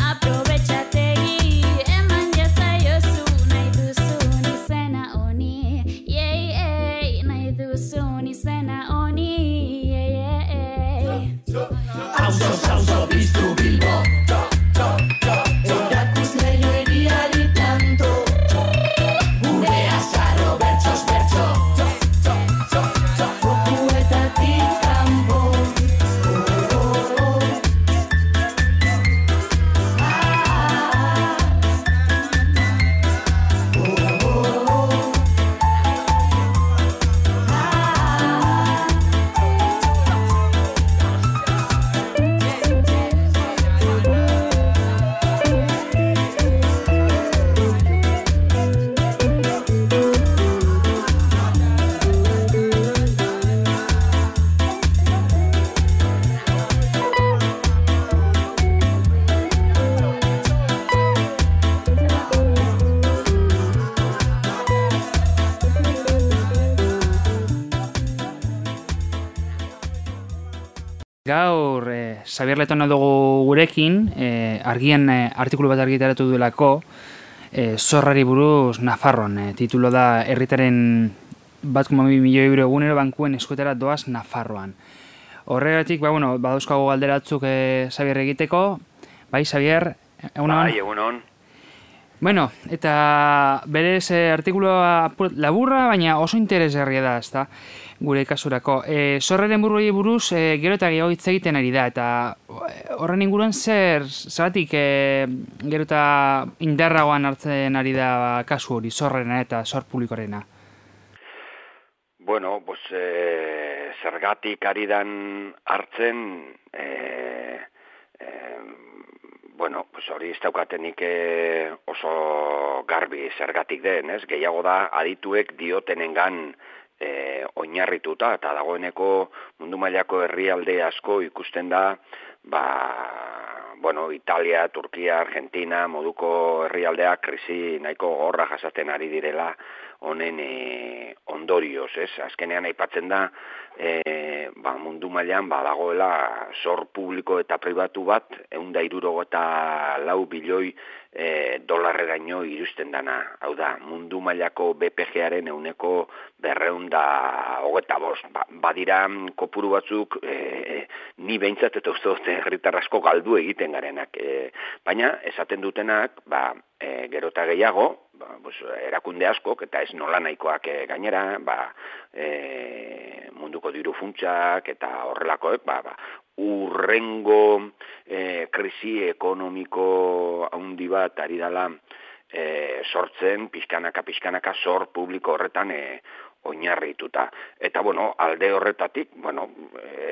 S8: aprobetxategi Eman jazaiozu nahi duzun izena honi Yei, yei, nahi duzun izena honi Yei, yei, yei
S7: Auzo, auzo, Piztu Bilbo, txo, txo, txo.
S4: Gaur, eh, Xabier Letona dugu gurekin, eh, argian eh, artikulu bat argitaratu duelako, eh, zorrari buruz Nafarroan. Eh, titulo da, herritaren bat koma bi milioi euro egunero bankuen eskuetara doaz Nafarroan. Horregatik, ba, bueno, badauzkago galderatzuk eh, Xabier egiteko. Bai, Xabier, egunon?
S12: Bai, egunon.
S4: Bueno, eta berez eh, artikulua laburra, baina oso interesgarria da, ezta? Gure kasurako. E, zorraren burroi buruz e, gero eta gehiago hitz egiten ari da, eta horren inguruan zer, zeratik e, gero eta indarragoan hartzen ari da kasu hori, zorrena eta zor publikorena?
S12: Bueno, pues, e, zergatik ari dan hartzen, e, e, bueno, pues hori ez daukatenik e, oso garbi zergatik den, ez? Gehiago da adituek diotenengan E, oinarrituta, eta dagoeneko mundu mailako herrialde asko ikusten da, ba, bueno, Italia, Turkia, Argentina, moduko herrialdeak krisi nahiko gorra jasaten ari direla honen e, ondorioz, ez? Azkenean aipatzen da, e, ba, mundu mailan badagoela zor publiko eta pribatu bat, ehun eta hirurogeita lau bilioi e, dolarreraino iristen dana. Hau da, mundu mailako B P G-aren ehuneko berrehun eta hogeita bost. Ba, badira kopuru batzuk e, ni behintzat eta uste dute herritar asko galdu egiten garenak. E, baina esaten dutenak, ba, e, gero eta gehiago, ba, pues, erakunde askok eta ez nola nahikoak e, gainera, ba, e, munduko diru funtsak eta horrelakoek, ba, ba, urrengo e, krisi ekonomiko handi bat ari dela e, sortzen, pixkanaka, pixkanaka zor publiko horretan e, oinarrituta. Eta, bueno, alde horretatik, bueno,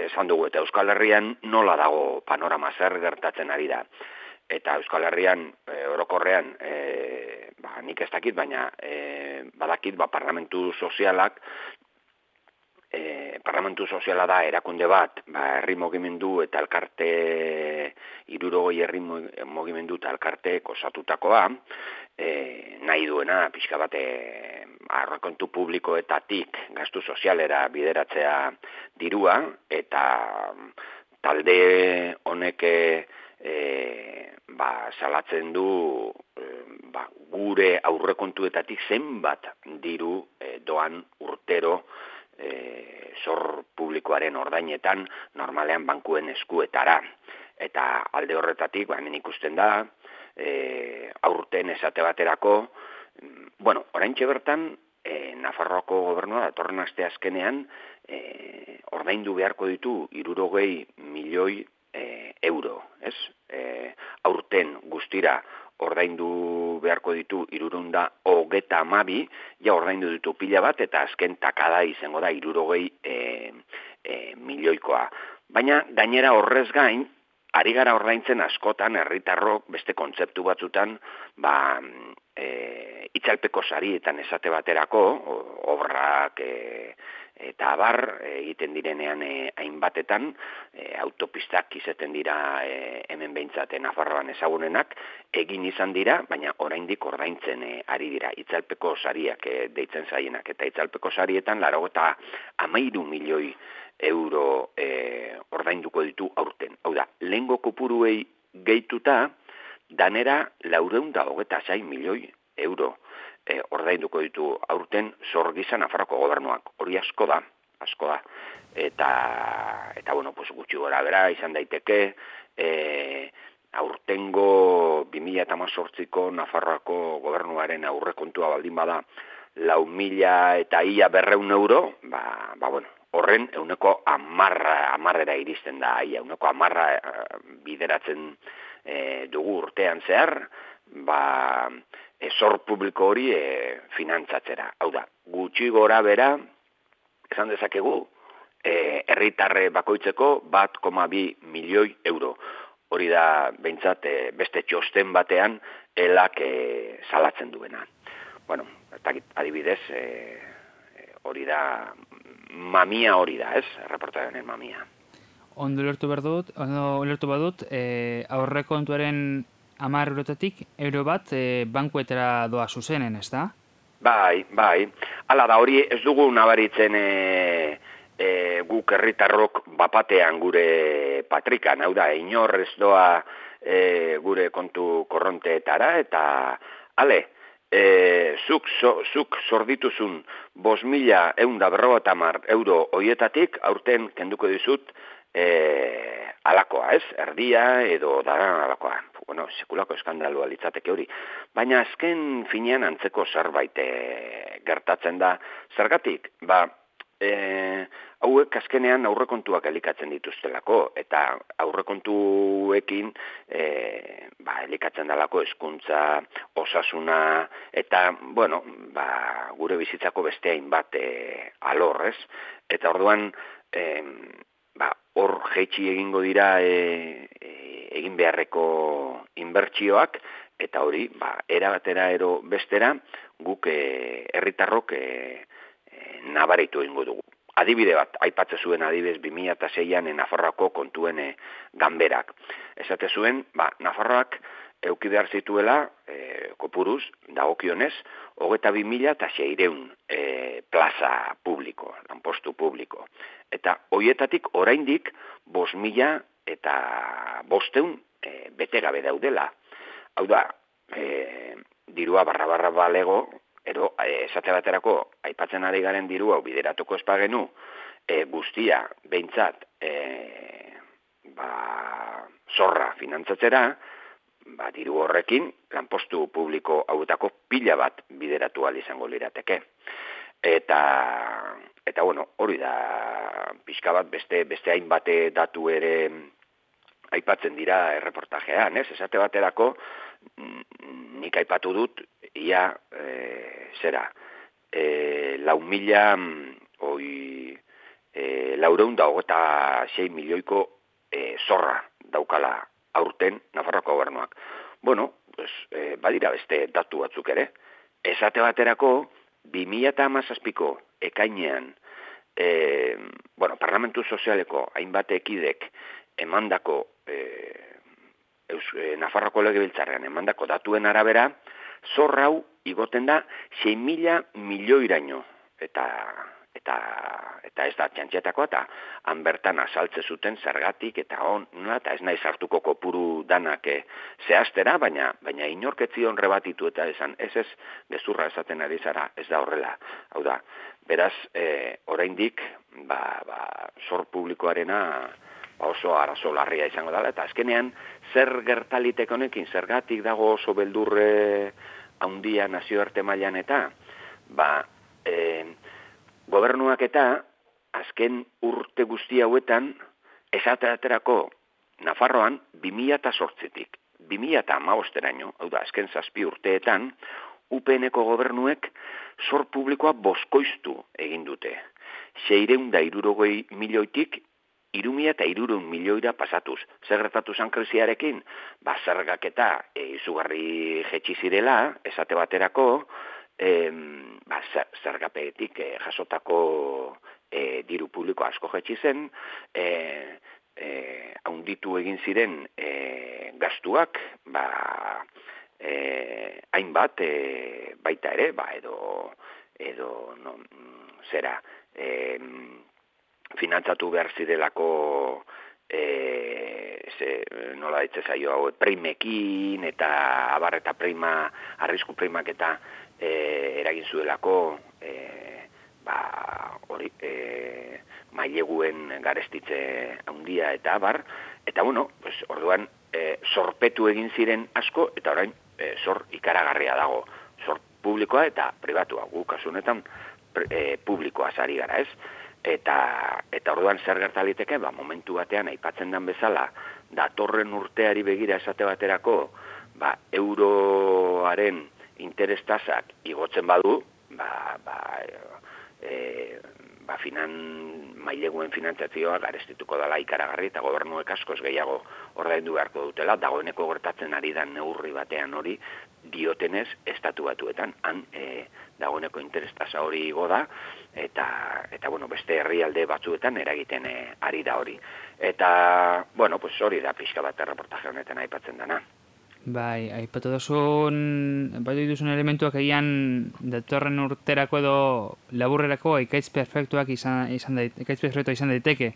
S12: esan dugu, eta Euskal Herrian nola dago panorama zer gertatzen ari da. Eta Euskal Herrian, e, orokorrean, e, ba, nik ez dakit, baina e, badakit, ba, parlamentu sozialak, E, parlamentu soziala da erakunde bat, ba, herri mugimendu eta elkarte, hirurogei herri mugimendu eta elkarte osatutakoa, e, nahi duena pixka bat e, aurrekontu publikoetatik gastu sozialera bideratzea dirua, eta talde honek e, ba, salatzen du e, ba, gure aurrekontuetatik zenbat diru e, doan urtero E, zor publikoaren ordainetan normalean bankuen eskuetara. Eta alde horretatik, ba, hemen ikusten da, e, aurten esate baterako, bueno, oraintxe bertan, e, Nafarroako gobernua datorren aste azkenean, e, ordaindu beharko ditu hirurogei milioi e, euro, ez? E, aurten guztira ordaindu beharko ditu hirurehun eta hogeita hamabi, ja ordaindu ditu pila bat, eta azken takada izango da hirurogei e, e, milioikoa. Baina gainera horrez gain, ari gara ordaintzen askotan herritarrok beste kontzeptu batzutan, ba, e, itzalpeko sarietan esate baterako, obrak e, eta abar egiten direnean e, hainbatetan, e, autopistak izaten dira e, hemen behintzate Nafarroan ezagunenak, egin izan dira, baina oraindik ordaintzen e, ari dira itzalpeko sariak e, deitzen zaienak, eta itzalpeko sarietan laurogeita hamairu milioi euro e, ordainduko ditu aurten. Hau da, lehengo kopuruei gehituta, danera laurehun eta hogeita sei milioi euro e, ordainduko ditu aurten zor gisa Nafarroko gobernuak. Hori asko da, asko da. Eta, eta bueno, pues, gutxi gora bera izan daiteke, e, aurtengo bi mila hemezortziko Nafarroako gobernuaren aurrekontua baldin bada lau mila eta ia berrehun euro, ba, ba bueno, horren euneko amarra, amarrera iristen da, ia, euneko amarra e, bideratzen e, dugu urtean zehar, ba, e, zor publiko hori e, finantzatzera. Hau da, gutxi gora bera, esan dezakegu, e, herritarre bakoitzeko bat koma bi milioi euro. Hori da, behintzat, e, beste txosten batean, elak e, salatzen duena. Bueno, adibidez, e, hori da, mamia hori da, ez? Reportaren mamia.
S4: Ondo ulertu behar dut, ondo ulertu badut, e, aurrekontuaren hamar eurotatik, euro bat e, bankuetara doa zuzenen, ez da?
S12: Bai, bai. Hala da, hori ez dugu nabaritzen e, e, guk herritarrok bapatean gure patrikan, hau da, inor ez doa e, gure kontu korronteetara, eta ale, e, zuk, so, zuk zordituzun bos mila eunda berrogota mar euro hoietatik, aurten kenduko dizut, e, alakoa, ez? Erdia edo daran alakoa. Bueno, sekulako eskandalua litzateke hori. Baina azken finean antzeko zerbait e, gertatzen da. Zergatik, ba, e, hauek azkenean aurrekontuak elikatzen dituztelako, eta aurrekontuekin e, ba, elikatzen dalako hezkuntza, osasuna, eta, bueno, ba, gure bizitzako beste hainbat e, alor, ez? Eta orduan, e, ba, hor jeitsi egingo dira e, e, egin beharreko inbertsioak, eta hori, ba, era batera ero bestera, guk e, herritarrok e, e, nabaritu egingo dugu. Adibide bat, aipatze zuen adibidez bi mila seian e, Nafarroako kontuen e, ganberak. Esate zuen, ba, Nafarroak euki behar zituela, e, kopuruz, dagokionez, hogeita bi mila eta seireun e, plaza publiko, lanpostu publiko. Eta hoietatik oraindik bost mila eta bosteun e, bete gabe daudela. Hau da, e, dirua barra-barra balego, ero, e, esate baterako, aipatzen ari garen diru hau bideratuko espagenu, e, guztia, behintzat, e, ba, zorra finantzatzera, ba, diru horrekin, lanpostu publiko hauetako pila bat bideratu ahal izango lirateke. Eta, eta bueno, hori da, pixka bat beste, beste hainbate datu ere aipatzen dira erreportajean, ez? Esate baterako, nik aipatu dut, ia, e, zera, e, lau mila, oi, e, laureun da hogeta sei milioiko e, zorra daukala aurten Nafarroako gobernuak. Bueno, pues, e, badira beste datu batzuk ere. Esate baterako, bi mila hamazazpiko ekainean, e, bueno, Parlamentu Sozialeko hainbat ekidek emandako, e, eus, e, Nafarroako legebiltzarrean emandako datuen arabera, zorra hau igoten da sei mila milioiraino. Eta, eta, eta ez da txantxetakoa, eta han bertan azaltze zuten zergatik, eta on, eta ez nahi sartuko kopuru danak e, zehaztera, baina, baina inorketzi honre batitu eta esan, ez ez, gezurra esaten ari zara, ez da horrela. Hau da, beraz, e, oraindik, ba, ba, zor publikoarena ba oso arazo larria izango dela, eta azkenean, zer gertalitek honekin, zergatik dago oso beldurre handia nazioarte mailan eta, ba, e, gobernuak eta azken urte guzti hauetan esaterako Nafarroan bi mila zortzitik, bi mila hamabosteraino, hau da, azken zazpi urteetan, U P N-ko gobernuek zor publikoa boskoiztu egin dute. Seireun da hirurogei milioitik, hiru mila eta hirurehun milioira pasatuz. Zer gertatu zan krisiarekin? Ba, zergak eta e, izugarri jetxi zirela, esate baterako, E, ba, zergapetik e, jasotako e, diru publiko asko jetxi zen, e, e, haunditu egin ziren e, gastuak, ba, e, hainbat e, baita ere, ba, edo, edo no, zera, e, finantzatu behar zirelako e, ze, nola ditze zaio hau, primekin eta abar eta prima, arrisku primak eta E, eragin zuelako e, ba, hori, e, maileguen garestitze handia eta abar, eta bueno, pues, orduan e, zorpetu egin ziren asko, eta orain e, zor ikaragarria dago, zor publikoa eta pribatua, gu kasu honetan e, publikoa zari gara, ez? Eta, eta orduan zer gertaliteke, ba, momentu batean aipatzen den bezala, datorren urteari begira esate baterako, ba, euroaren interes tasak igotzen badu, ba, ba, e, ba finan, maileguen finantzazioa garestituko dela ikaragarri eta gobernuek askoz gehiago ordaindu beharko dutela, dagoeneko gertatzen ari da neurri batean hori diotenez estatu batuetan, han e, dagoeneko interes tasa hori igo da, eta, eta bueno, beste herrialde batzuetan eragiten e, ari da hori. Eta, bueno, pues hori da pixka bat erreportaje honetan aipatzen dana.
S4: Bai, aipatu duzun, aipatu dituzun elementuak egian datorren urterako edo laburrerako ekaitz perfektuak izan, izan daiteke, ekaitz perfektua izan daiteke.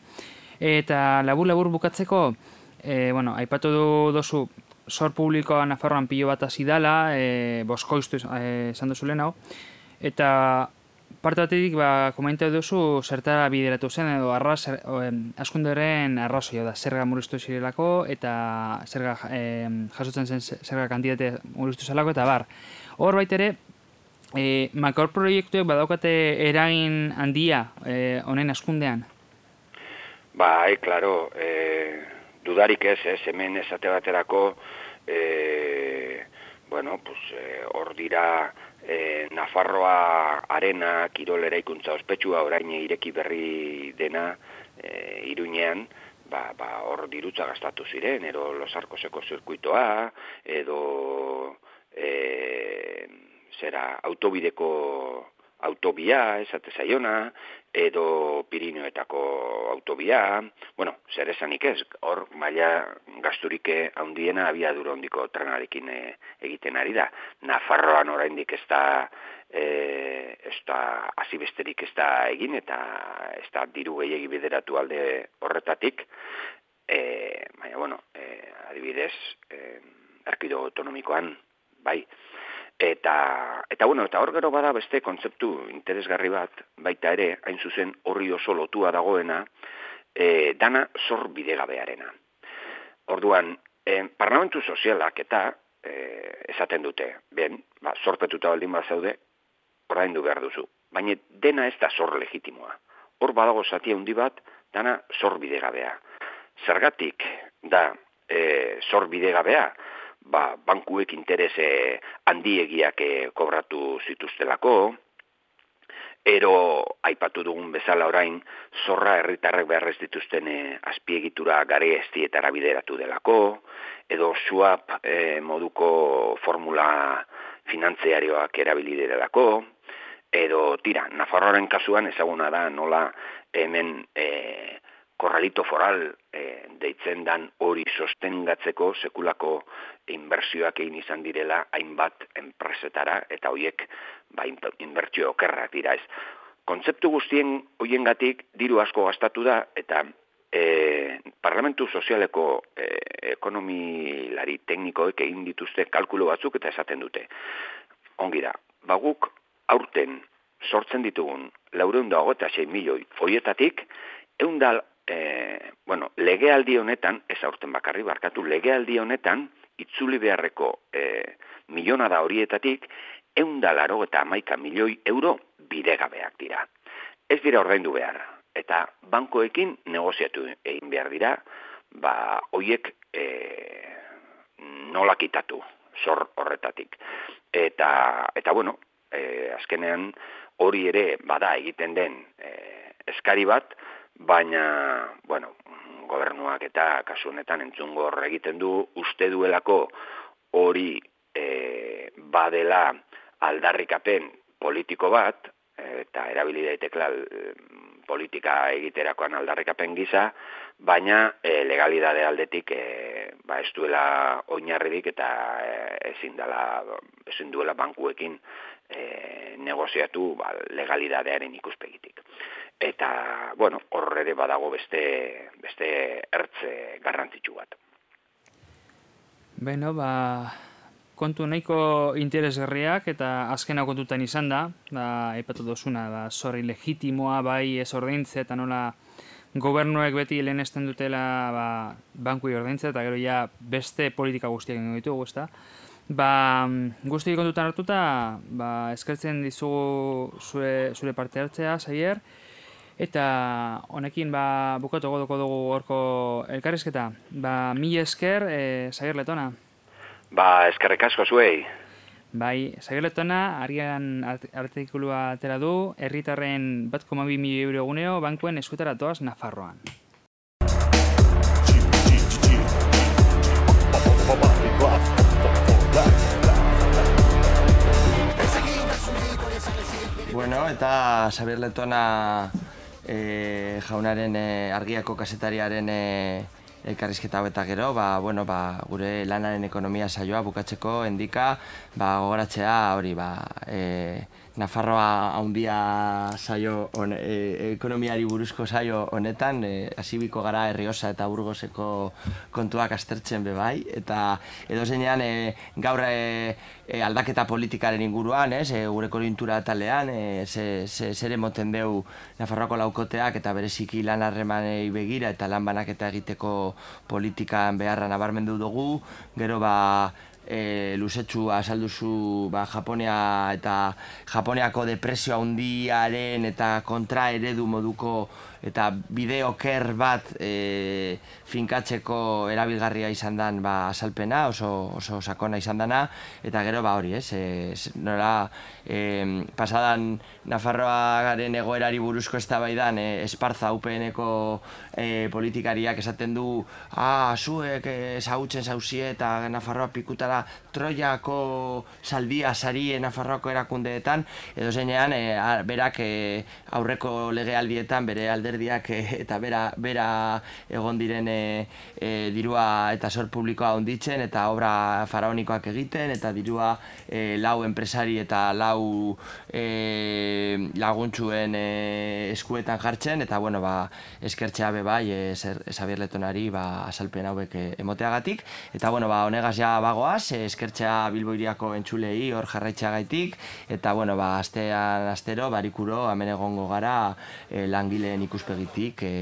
S4: Eta labur-labur bukatzeko, e, bueno, aipatu du dozu zor publikoa Nafarroan pilo bat hasi dela, e, boskoiztu esan duzu lehenago, eta parte batetik ba, komentatu duzu zertara bideratu zen edo arras, askunderen arrazoia da, zerga murriztu zirelako eta zerga e, jasotzen zen zerga kantitate murriztu zelako eta bar. Hor baitere, e, makro proiektuek badaukate eragin handia e, honen askundean?
S12: Bai, klaro, e, dudarik ez, ez, hemen esate baterako, e, bueno, pues, hor e, dira, E, Nafarroa arena kirol eraikuntza ospetsua orain ireki berri dena e, Iruñean, ba, ba, hor dirutza gastatu ziren, ero Los Arcoseko zirkuitoa, edo e, zera autobideko autobia, esate zaiona, edo Pirineoetako autobia, bueno, zer esanik ez, hor maila gasturik handiena abiadura handiko trenarekin e, egiten ari da. Nafarroan oraindik ez da, e, ez da azibesterik ez da egin, eta ez da diru gehiegi bideratu alde horretatik, e, baina, bueno, e, adibidez, e, erkido autonomikoan, bai, Eta, eta, bueno, eta hor gero bada beste kontzeptu interesgarri bat, baita ere, hain zuzen horri oso lotua dagoena, e, dana zor bidegabearena. Orduan, e, parlamentu sozialak eta e, esaten dute, ben, ba, zorpetuta baldin bat zaude, ordaindu behar duzu. Baina dena ez da zor legitimoa. Hor badago zati handi bat, dana zor bidegabea. Zergatik da e, zor bidegabea, ba, bankuek interese handiegiak kobratu zituztelako, ero aipatu dugun bezala orain zorra herritarrek beharrez dituzten e, azpiegitura gare estietara bideratu delako, edo swap e, moduko formula finantziarioak erabili delako, edo tira, Nafarroaren kasuan ezaguna da nola hemen e, korralito foral e, deitzen dan hori sostengatzeko sekulako inbertsioak egin izan direla hainbat enpresetara eta hoiek ba, inbertsio okerrak dira ez. Kontzeptu guztien hoiengatik diru asko gastatu da eta e, Parlamentu Sozialeko e, ekonomilari teknikoek egin dituzte kalkulo batzuk eta esaten dute. Ongi da, baguk aurten sortzen ditugun laurehun eta hogeita sei milioi horietatik ehun da E, bueno, legealdi honetan, ez aurten bakarri barkatu, legealdi honetan, itzuli beharreko e, milionada horietatik, ehun eta laurogeita hamaika milioi euro bidegabeak dira. Ez dira ordaindu behar, eta bankoekin negoziatu egin behar dira, ba, hoiek e, nola kitatu, zor horretatik. Eta, eta bueno, e, azkenean hori ere bada egiten den e, eskari bat, baina, bueno, gobernuak eta kasu honetan entzungor egiten du, uste duelako hori e, badela aldarrikapen politiko bat, eta erabili daitekla politika egiterakoan aldarrikapen gisa, baina e, legalidade aldetik e, ba, ez duela oinarririk eta e, ezin, dela, ezin duela bankuekin e, negoziatu ba, legalidadearen ikuspegitik. Eta, bueno, horre ere badago beste, beste ertze garrantzitsu bat.
S4: Beno, ba, kontu nahiko interesgarriak eta azkena kontutan izan da, ba, aipatu dozuna, ba, zorri legitimoa, bai ez ordaintze eta nola gobernuek beti lehenesten dutela ba, bankui ordaintze eta gero ja beste politika guztiak ingo ditugu, ezta? Ba, guztiak kontutan hartuta, ba, eskertzen dizugu zure, zure parte hartzea, Xabier, eta honekin ba, bukatu godoko dugu horko elkarrizketa. Ba, mila esker, e, Xabier Letona.
S12: Ba, eskerrik asko zuei.
S4: Bai, Xabier Letona, arian artikulua atera du, herritarren bat koma bi milioi euro egunero bankuen eskutara toaz Nafarroan.
S3: Bueno, eta Xabier Letona e, jaunaren e, argiako kazetariaren e, elkarrizketa hau eta gero, ba, bueno, ba, gure lanaren ekonomia saioa bukatzeko endika, ba, gogoratzea hori, ba, e, Nafarroa handia saio on, e, ekonomiari buruzko saio honetan, e, hasibiko gara Errioxa eta Burgoseko kontuak aztertzen bebai, eta edo zeinean e, gaur e, e, aldaketa politikaren inguruan, ez, e, gure konjuntura talean, e, ze, ze, zere moten deu Nafarroako laukoteak eta bereziki lan harremanei begira eta lan banaketa egiteko politikan beharra nabarmendu dugu, gero ba, E, luzetxu azalduzu ba, Japonia eta Japoniako depresio handiaren eta kontra eredu moduko eta bide oker bat e, finkatzeko erabilgarria izan dan ba, azalpena, oso, oso sakona izan dana, eta gero ba hori, ez, e, nola e, pasadan Nafarroaren egoerari buruzko eztabaidan e, Esparza U P N-eko e, politikariak esaten du, ah, zuek ezagutzen zauzie eta Nafarroa pikutara Troiako saldia sari Nafarroako erakundeetan, edo zeinean e, berak e, aurreko legealdietan bere alderdiak e, eta bera, bera egon diren e, e, dirua eta zor publikoa onditzen eta obra faraonikoak egiten eta dirua e, lau enpresari eta lau e, laguntzuen e, eskuetan jartzen eta bueno, ba, eskertzea be bai e, Xabier Letonari ba, azalpen hauek e, emoteagatik eta bueno, ba, honegaz ja bagoaz, e, eskertzea Bilbo Hiriako entzulei hor jarraitzeagaitik eta bueno, ba, astean astero barikuro hemen egongo gara e, langileen ikuspegitik e,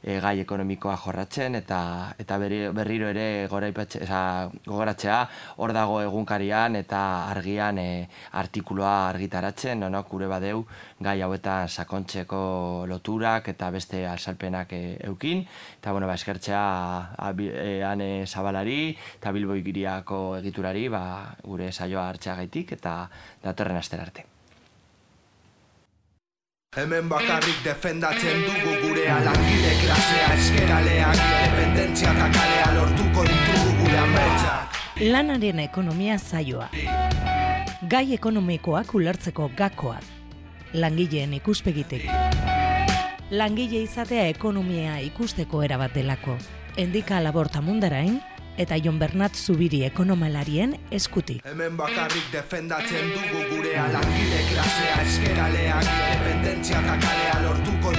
S3: e, gai ekonomikoa jorratzen eta eta berri, berriro ere gogoratzea hor dago egunkarian eta argian e, artikuloa argitaratzen, no, gure badeu gai hauetan sakontzeko loturak eta beste azalpenak e, eukin eta bueno, ba, eskertzea e, Ane Zabalari eta Bilbo Hiriako egiturari ba, gure saioa hartzeagaitik eta datorren astera arte.
S1: Hemen bakarrik defendatzen dugu gurea langile klasea eskeraleak independentzia eta kalea lortuko ditugu gure ametsak.
S2: Lanaren ekonomia saioa. Gai ekonomikoak ulertzeko gakoak. Langileen ikuspegitik. Langile izatea ekonomia ikusteko erabat delako. Endika Laborta Mundarain eta Jon Bernat Zubiri ekonomalarien eskutik.
S1: Hemen bakarrik defendatzen dugu gurea langile klasea eskeraleak independentzia eta kalea lortuko